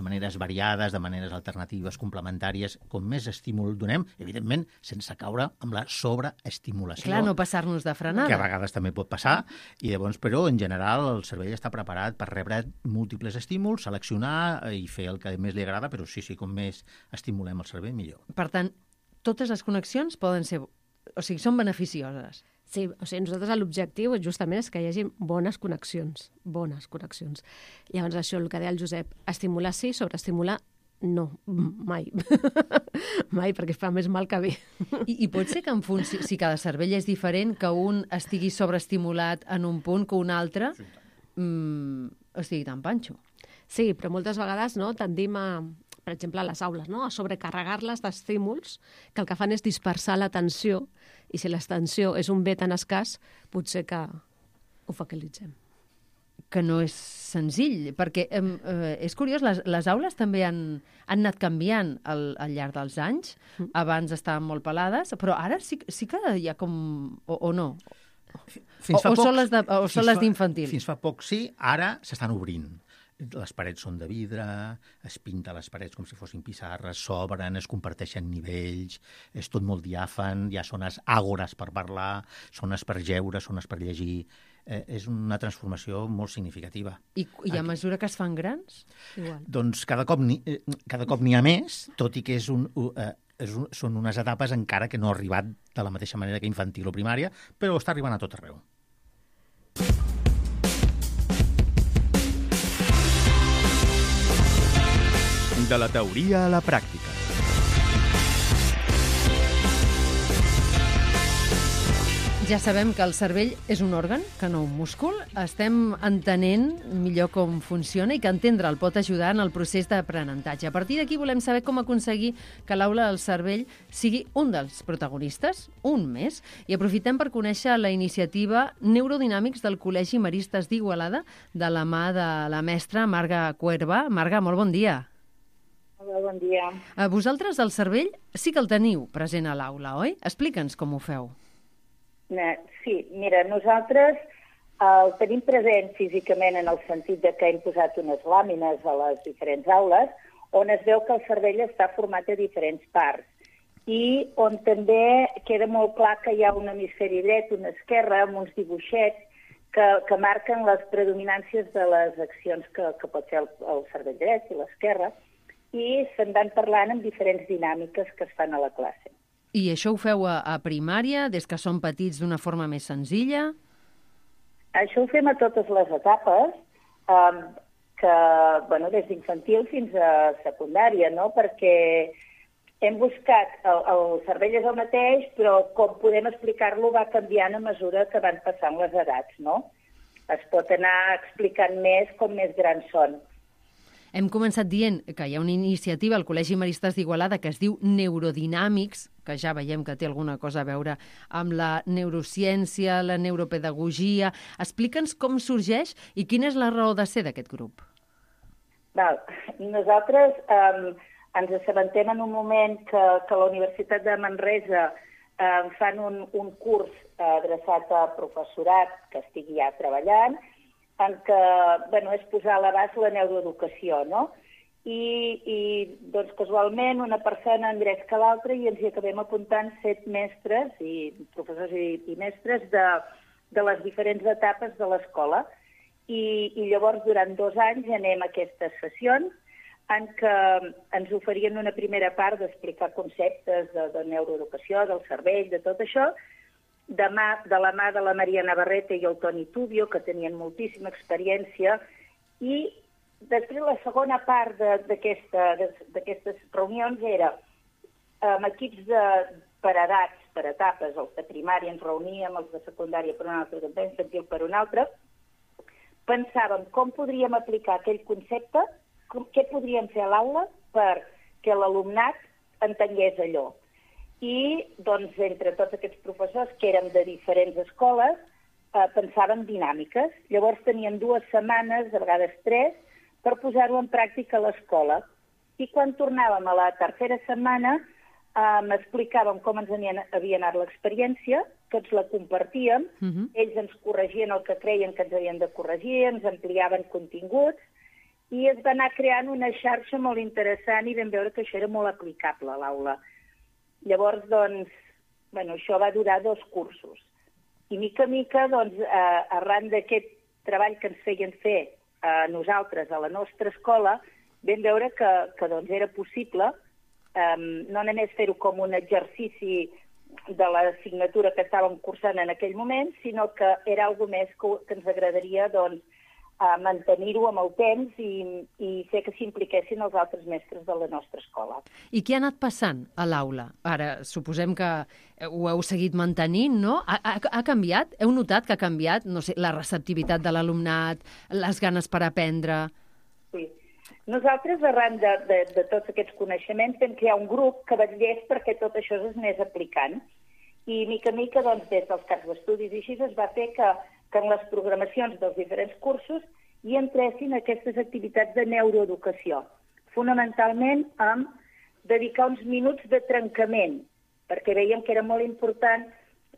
S3: maneres variades, de maneres alternatives, complementàries, com més estímul donem, evidentment, sense caure amb la sobreestimulació.
S2: Clar, no passar-nos de frenada.
S3: Que a vegades també pot passar, i llavors, però, en general, el cervell està preparat per rebre múltiples estímuls, seleccionar i fer el que més li agrada, però sí, com més estimulem el cervell, millor.
S2: Per tant, totes les connexions poden ser... O sigui, són beneficioses.
S4: Sí, o sigui, nosaltres l'objectiu justament és que hi hagi bones connexions. Llavors, això, el que deia el Josep, estimular sí, sobreestimular no, mai. Mai, perquè fa més mal que bé.
S2: I pot ser que si cada cervell és diferent, que un estigui sobreestimulat en un punt que un altre estigui tan panxo.
S4: Sí, però moltes vegades tendim a... per exemple, a les aules, a sobrecarregar-les d'estímuls que el que fan és dispersar l'atenció, i si l'atenció és un bé tan escàs, potser que ho focalitzem.
S2: Que no és senzill, perquè és curiós, les aules també han anat canviant al llarg dels anys. Abans estaven molt pelades, però ara sí que hi ha com... o no? O són les d'infantil?
S3: Fins fa poc sí, ara s'estan obrint. Les parets són de vidre, es pinta les parets com si fossin pissarres, s'obren, es comparteixen nivells, és tot molt diàfan, hi ha zones àgores per parlar, zones per jeure, zones per llegir. És una transformació molt significativa.
S2: I a mesura que es fan grans?
S4: Igual.
S3: Doncs cada cop n'hi ha més, tot i que són unes etapes encara que no ha arribat de la mateixa manera que infantil o primària, però està arribant a tot arreu.
S1: De la teoria a la pràctica.
S2: Ja sabem que el cervell és un òrgan, que no un múscul. Estem entenent millor com funciona i que entendre'l pot ajudar en el procés d'aprenentatge. A partir d'aquí volem saber com aconseguir que l'aula del cervell sigui un dels protagonistes, un més, i aprofitem per conèixer la iniciativa Neurodinàmics del Col·legi Maristes d'Igualada de la mà de la mestra Marga Cuerva. Marga, molt bon dia.
S10: Hola, bon dia.
S2: Vosaltres el cervell sí que el teniu present a l'aula, oi? Explica'ns com ho feu.
S10: Sí, mira, nosaltres el tenim present físicament en el sentit de que hem posat unes làmines a les diferents aules on es veu que el cervell està format de diferents parts i on també queda molt clar que hi ha un hemisferi dret, un esquerre, amb uns dibuixets que marquen les predominàncies de les accions que pot fer el cervell dret i l'esquerre, i se'n van parlant en diferents dinàmiques que es fan a la classe.
S2: I això ho feu a primària, des que són petits d'una forma més senzilla?
S10: Això ho fem a totes les etapes, des d'infantil fins a secundària, no? Perquè hem buscat, el cervell és el mateix, però com podem explicar-lo va canviant a mesura que van passant les edats, no? Es pot anar explicant més com més grans són.
S2: Hem començat dient que hi ha una iniciativa al Col·legi Maristes d'Igualada que es diu Neurodinàmics, que ja veiem que té alguna cosa a veure amb la neurociència, la neuropedagogia. Explica'ns com sorgeix i quina és la raó de ser d'aquest grup.
S10: Nosaltres ens assabentem en un moment que la Universitat de Manresa fan un curs adreçat a professorat que estigui ja treballant, en què és posar a l'abast la neuroeducació, no? I doncs, casualment, una persona en drets que l'altra i ens hi acabem apuntant 7 mestres, i professors i mestres de les diferents etapes de l'escola. I llavors, durant 2 anys, anem a aquestes sessions en què ens oferien una primera part d'explicar conceptes de neuroeducació, del cervell, de tot això, de la mà de la Maria Navarrete i el Toni Tubio, que tenien moltíssima experiència, i després la segona part d'aquestes reunions era amb equips per edats, per etapes, els de primària ens reuníem, els de secundària per una altra, els d'infantil per una altra, pensàvem com podríem aplicar aquell concepte, què podríem fer a l'aula perquè l'alumnat entengués allò. I, doncs, entre tots aquests professors, que eren de diferents escoles, pensaven dinàmiques. Llavors tenien 2 setmanes, a vegades 3, per posar-ho en pràctica a l'escola. I quan tornàvem a la tercera setmana, explicàvem com ens havia anat l'experiència, tots la compartíem, ells ens corregien el que creien que ens havien de corregir, ens ampliaven continguts, i es va anar creant una xarxa molt interessant i vam veure que això era molt aplicable a l'aula. Llavors, doncs, això va durar 2 cursos. I mica en mica, doncs, arran d'aquest treball que ens feien fer a nosaltres, a la nostra escola, vam veure que doncs, era possible no només fer-ho com un exercici de l'assignatura que estàvem cursant en aquell moment, sinó que era alguna més que ens agradaria doncs, mantenir-ho amb el temps i fer que s'impliquessin els altres mestres de la nostra escola.
S2: I què ha anat passant a l'aula? Ara, suposem que ho heu seguit mantenint, no? Ha canviat? Heu notat que ha canviat, no sé, la receptivitat de l'alumnat, les ganes per aprendre?
S10: Sí. Nosaltres, arran de tots aquests coneixements, vam crear un grup que vetllés perquè tot això es anés aplicant. I mica en mica, doncs, des dels caps d'estudis i així, es va fer que en les programacions dels diferents cursos hi entressin aquestes activitats de neuroeducació, fonamentalment amb dedicar uns minuts de trencament, perquè veiem que era molt important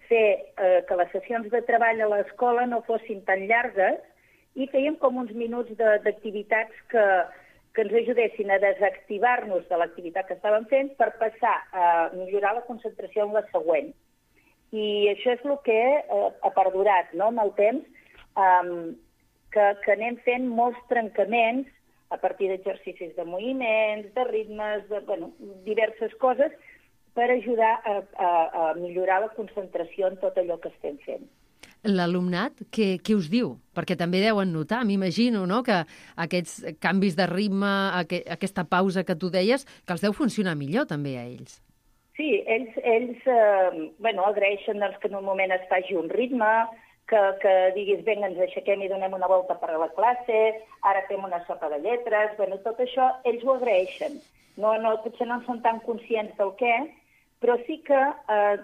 S10: fer que les sessions de treball a l'escola no fossin tan llargues i fèiem com uns minuts d'activitats que ens ajudessin a desactivar-nos de l'activitat que estàvem fent per passar a millorar la concentració en la següent. I això és el que ha perdurat, no?, amb el temps, que anem fent molts trencaments a partir d'exercicis de moviments, de ritmes, diverses coses, per ajudar a millorar la concentració en tot allò que estem fent.
S2: L'alumnat, què us diu? Perquè també deuen notar, m'imagino, no?, que aquests canvis de ritme, aquesta pausa que tu deies, que els deu funcionar millor també a ells.
S10: Sí, ells agraeixen que en un moment es faci un ritme, que diguis, vinga, ens aixequem i donem una volta per a la classe, ara fem una sopa de lletres, tot això ells ho agraeixen. Potser no en són tan conscients del què, però sí que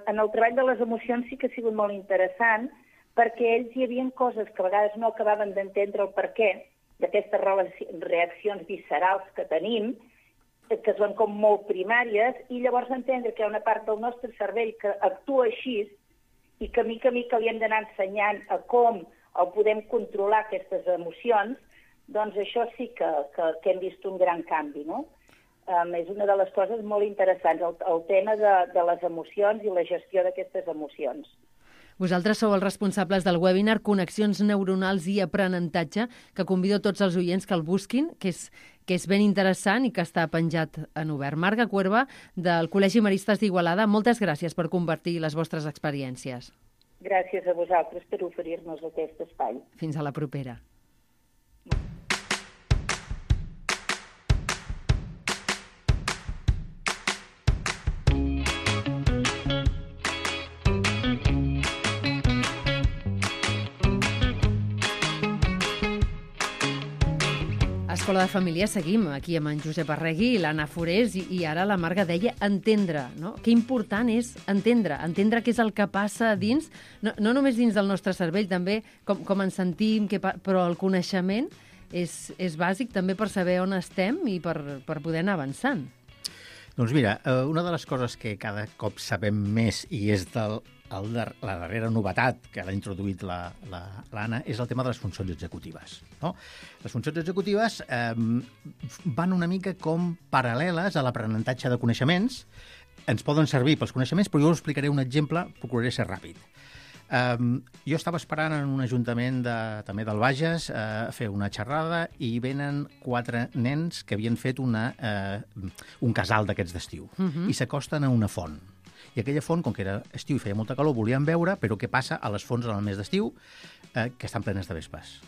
S10: en el treball de les emocions sí que ha sigut molt interessant, perquè ells hi havia coses que a vegades no acabaven d'entendre el perquè d'aquestes reaccions viscerals que tenim, que són com molt primàries, i llavors entendre que hi ha una part del nostre cervell que actua així i que mica a mica li hem d'anar ensenyant a com podem controlar aquestes emocions, doncs això sí que hem vist un gran canvi, no? És una de les coses molt interessants, el tema de les emocions i la gestió d'aquestes emocions.
S2: Vosaltres sou els responsables del webinar Connexions neuronals i aprenentatge, que convido tots els oients que el busquin, que és ben interessant i que està penjat en obert. Marga Cuerva, del Col·legi Maristes d'Igualada, moltes gràcies per compartir les vostres experiències.
S10: Gràcies a vosaltres per oferir-nos aquest espai.
S2: Fins a la propera. Escola de Família seguim aquí amb en Josep Arregui i l'Anna Forés i ara la Marga deia entendre, no? Que important és entendre què és el que passa dins, no només dins del nostre cervell, també com ens sentim, però el coneixement és bàsic també per saber on estem i per poder anar avançant.
S3: Doncs mira, una de les coses que cada cop sabem més i és la darrera novetat que l'ha introduït l'Anna és el tema de les funcions executives. No? Les funcions executives van una mica com paral·leles a l'aprenentatge de coneixements. Ens poden servir pels coneixements, però jo us explicaré un exemple, procuraré ser ràpid. Jo estava esperant en un ajuntament també del Bages a fer una xerrada i venen 4 nens que havien fet un casal d'aquests d'estiu i s'acosten a una font. I aquella font, com que era estiu i feia molta calor, volien veure, però què passa a les fonts en el mes d'estiu, que estan plenes de vespes.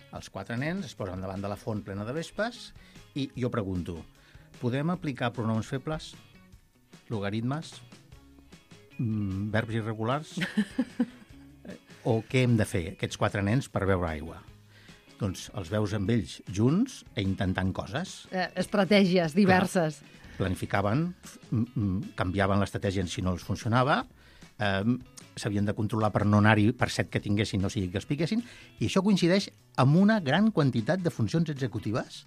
S3: Els 4 nens es posen davant de la font plena de vespes i jo pregunto, podem aplicar pronoms febles, logaritmes, verbs irregulars? O què hem de fer, aquests 4 nens, per beure aigua? Doncs els veus amb ells junts i intentant coses.
S2: Estratègies diverses.
S3: Clar. Planificaven, canviaven l'estratègia si no els funcionava, s'havien de controlar per no anar-hi per set que tinguessin, no sigui que els piquessin, i això coincideix amb una gran quantitat de funcions executives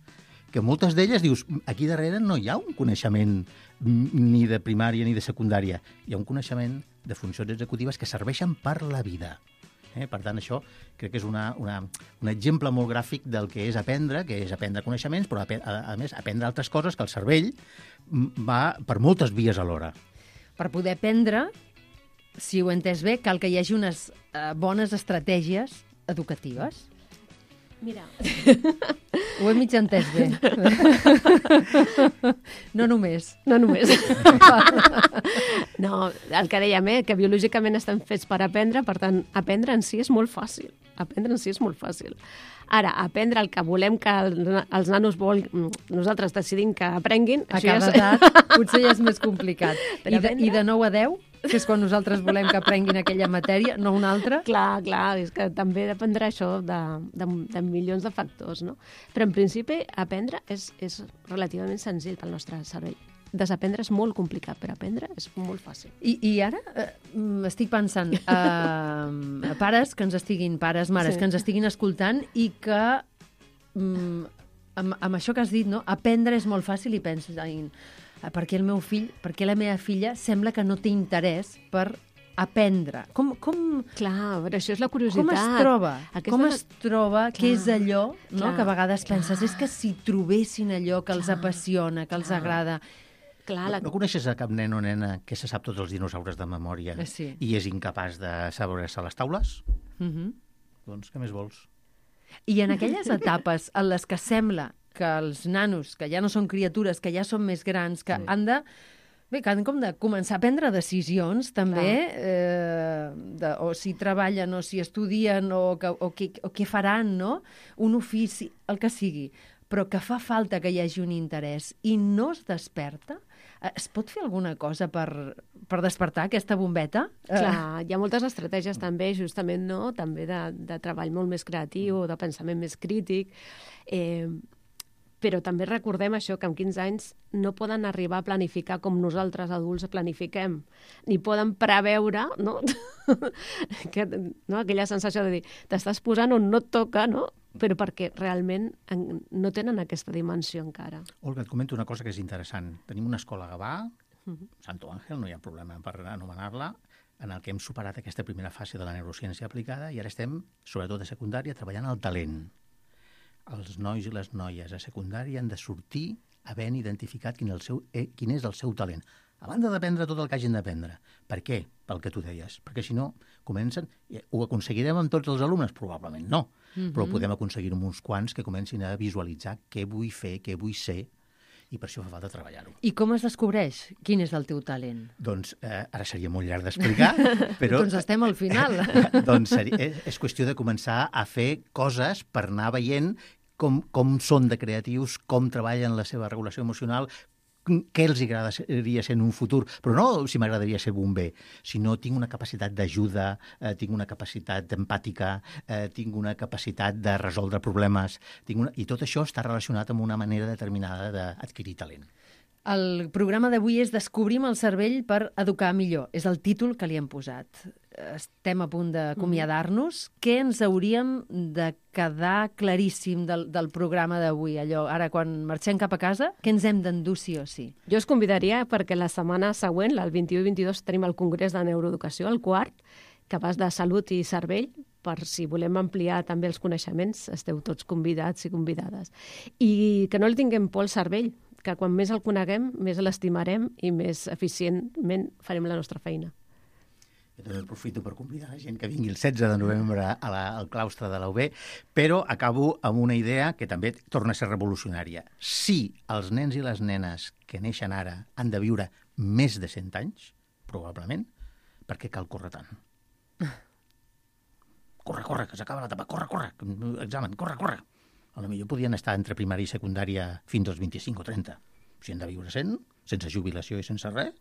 S3: que moltes d'elles dius, aquí darrere no hi ha un coneixement ni de primària ni de secundària, hi ha un coneixement de funcions executives que serveixen per la vida. Per tant, això crec que és un exemple molt gràfic del que és aprendre coneixements, però a més aprendre altres coses que el cervell va per moltes vies alhora.
S2: Per poder aprendre, si ho he entès bé, cal que hi hagi unes bones estratègies educatives.
S4: Mira.
S2: Ho he mig entès bé. No només.
S4: No només. No, el que dèiem, que biològicament estan fets per aprendre, per tant, aprendre en si és molt fàcil. Aprendre en si és molt fàcil. Ara, aprendre el que volem que els nanos nosaltres decidim que aprenguin...
S2: A cada edat potser ja és més complicat. I de 9 a 10, que és quan nosaltres volem que aprenguin aquella matèria, no una altra?
S4: Clar, és que també dependrà això de milions de factors, no? Però en principi aprendre és relativament senzill pel nostre cervell. Desaprendre és molt complicat, però aprendre és molt fàcil.
S2: I ara estic pensant pares que ens estiguin, mares que ens estiguin escoltant i que amb això que has dit, no? Aprendre és molt fàcil i penses, per què el meu fill, per què la meva filla sembla que no té interès per aprendre.
S4: Clar, però això és la curiositat.
S2: Com es troba? Què és allò, no? Que a vegades penses, és que si trobessin allò que els apassiona, que els agrada...
S3: No coneixes a cap nen o nena que se sap tots els dinosaures de memòria i és incapaç de saber-se les taules? Doncs què més vols?
S2: I en aquelles etapes en les que sembla que els nanos, que ja no són criatures, que ja són més grans, que han de... Bé, que han com de començar a prendre decisions, també, o si treballen, o si estudien, o què faran, no? Un ofici, el que sigui. Però que fa falta que hi hagi un interès i no es desperta, es pot fer alguna cosa per despertar aquesta bombeta?
S4: Clar, hi ha moltes estratègies també, justament, no? També de treball molt més creatiu, de pensament més crític, però també recordem això, que amb 15 anys no poden arribar a planificar com nosaltres adults planifiquem, ni poden preveure, no? Aquella sensació de dir, t'estàs posant on no et toca, no? Però perquè realment no tenen aquesta dimensió encara.
S3: Olga, et comento una cosa que és interessant. Tenim una escola a Gavà, Santo Ángel, no hi ha problema per anomenar-la, en el que hem superat aquesta primera fase de la neurociència aplicada i ara estem, sobretot a secundària, treballant el talent. Els nois i les noies a secundària han de sortir havent identificat quin és el seu talent, a banda d'aprendre tot el que hagin d'aprendre. Per què? Pel que tu deies. Perquè si no, comencen... Ho aconseguirem amb tots els alumnes? Probablement no. Però podem aconseguir amb uns quants que comencin a visualitzar què vull fer, què vull ser, i per això fa falta treballar-ho.
S2: I com es descobreix quin és el teu talent?
S3: Doncs ara seria molt llarg d'explicar, però...
S2: Doncs estem al final.
S3: Doncs és qüestió de començar a fer coses per anar veient com són de creatius, com treballen la seva regulació emocional, què els agradaria ser en un futur, però no si m'agradaria ser bomber, sinó tinc una capacitat d'ajuda, tinc una capacitat empàtica, tinc una capacitat de resoldre problemes, i tot això està relacionat amb una manera determinada d'adquirir talent.
S2: El programa d'avui és Descobrim el cervell per educar millor. És el títol que li hem posat. Estem a punt d'acomiadar-nos. Què ens hauríem de quedar claríssim del programa d'avui? Allò, ara, quan marxem cap a casa, què ens hem d'endur sí o sí?
S4: Jo us convidaria perquè la setmana següent, el 21 i 22, tenim el Congrés de Neuroeducació, el quart, que va de salut i cervell, per si volem ampliar també els coneixements, esteu tots convidats i convidades. I que no li tinguem por al cervell, que quan més el coneguem, més l'estimarem i més eficientment farem la nostra feina.
S3: Jo també aprofito per convidar la gent que vingui el 16 de novembre al claustre de la UB, però acabo amb una idea que també torna a ser revolucionària. Si els nens i les nenes que neixen ara han de viure més de 100 anys, probablement, per què cal córrer tant? Corre, que s'acaba l'etapa, corre, examen, corre. Potser podien estar entre primària i secundària fins als 25 o 30. Si han de viure 100, sense jubilació i sense res,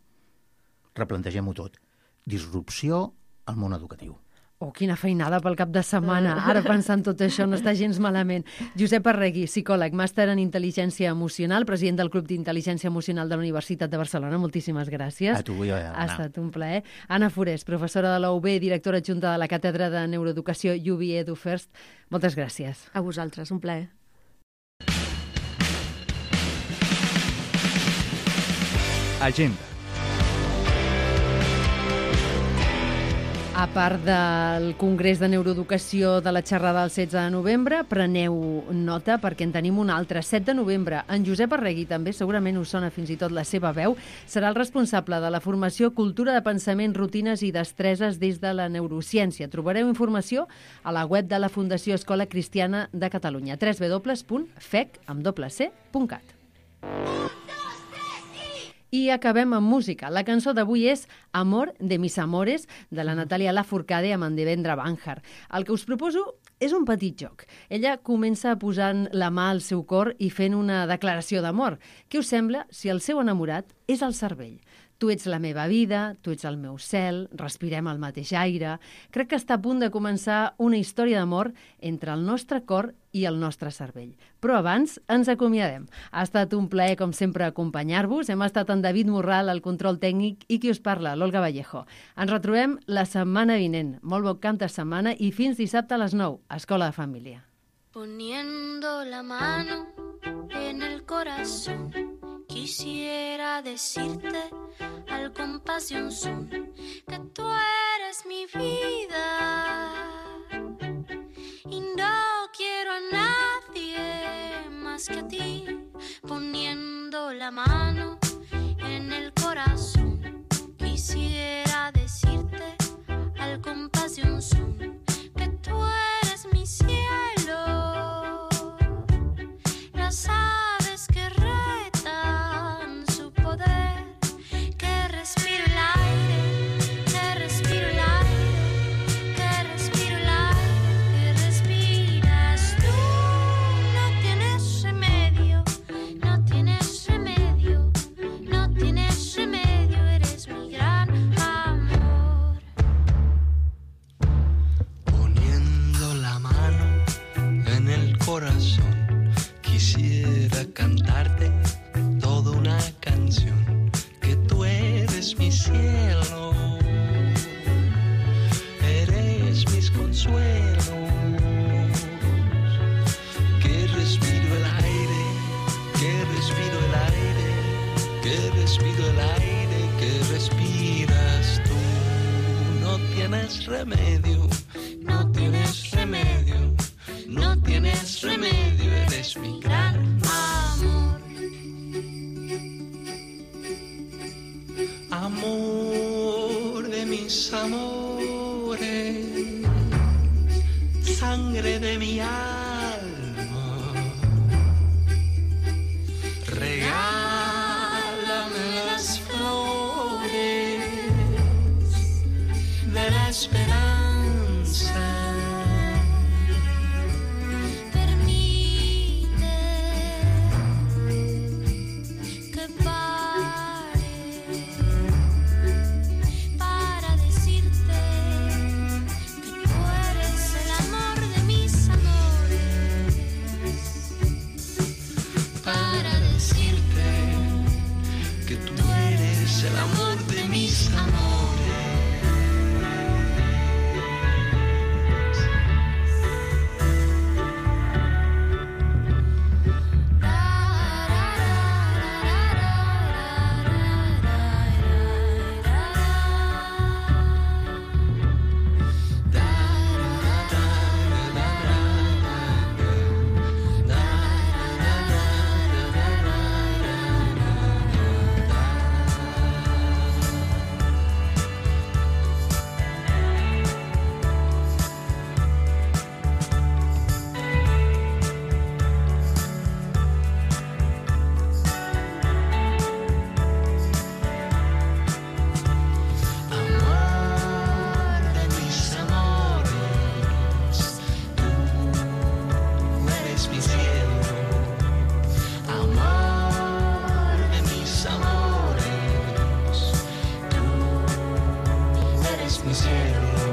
S3: replantegem-ho tot. Disrupció al món educatiu.
S2: Oh, quina feinada pel cap de setmana. Ara pensant tot això no està gens malament. Josep Arregui, psicòleg, màster en Intel·ligència Emocional, president del Club d'Intel·ligència Emocional de la Universitat de Barcelona. Moltíssimes gràcies.
S3: A tu, Anna.
S2: Ha estat un plaer. Anna Forés, professora de la UB, directora adjunta de la Càtedra de Neuroeducació UB EduFirst. Moltes gràcies.
S4: A vosaltres, un plaer.
S1: Agenda.
S2: A part del Congrés de Neuroeducació de la xerrada del 16 de novembre, preneu nota perquè en tenim un altre. 7 de novembre, en Josep Arregui, també segurament us sona fins i tot la seva veu, serà el responsable de la formació Cultura de Pensament, Rutines i Destreses des de la Neurociència. Trobareu informació a la web de la Fundació Escola Cristiana de Catalunya, www.fec.cat. I acabem amb música. La cançó d'avui és Amor de mis amores, de la Natàlia Lafourcade amb en Devendra Banhart. El que us proposo és un petit joc. Ella comença posant la mà al seu cor i fent una declaració d'amor. Què us sembla si el seu enamorat és el cervell? Tu ets la meva vida, tu ets el meu cel, respirem el mateix aire. Crec que està a punt de començar una història d'amor entre el nostre cor i el nostre cervell. Però abans ens acomiadem. Ha estat un plaer, com sempre, acompanyar-vos. Hem estat en David Morral, al control tècnic, i qui us parla, l'Olga Vallejo. Ens retrobem la setmana vinent. Molt bon cap de setmana i fins dissabte a les 9, a Escola de Família.
S11: Poniendo la mano en el corazón, Quisiera decirte al compás de un son que tú eres mi vida y no quiero a nadie más que a ti, poniendo la mano en el corazón. Quisiera decirte al compás de un son que tú eres mi cielo. Las aves que retan su poder, que respiro el aire, que respiro el aire, que respiro el aire, que respiras tú. No tienes remedio, no tienes remedio, no tienes remedio, eres mi gran amor.
S12: Poniendo la mano en el corazón, quisiera cantarte toda una canción, que tú eres mi cielo, eres mis consuelos, que respiro el aire, que respiro el aire, que respiro el aire, que respiras tú. No tienes remedio, no tienes remedio, no tienes remedio, eres mi gran amor. Amor de mis amores, sangre de mi alma, regálame las flores de la esperanza. El amor de mis amores. Mi cielo.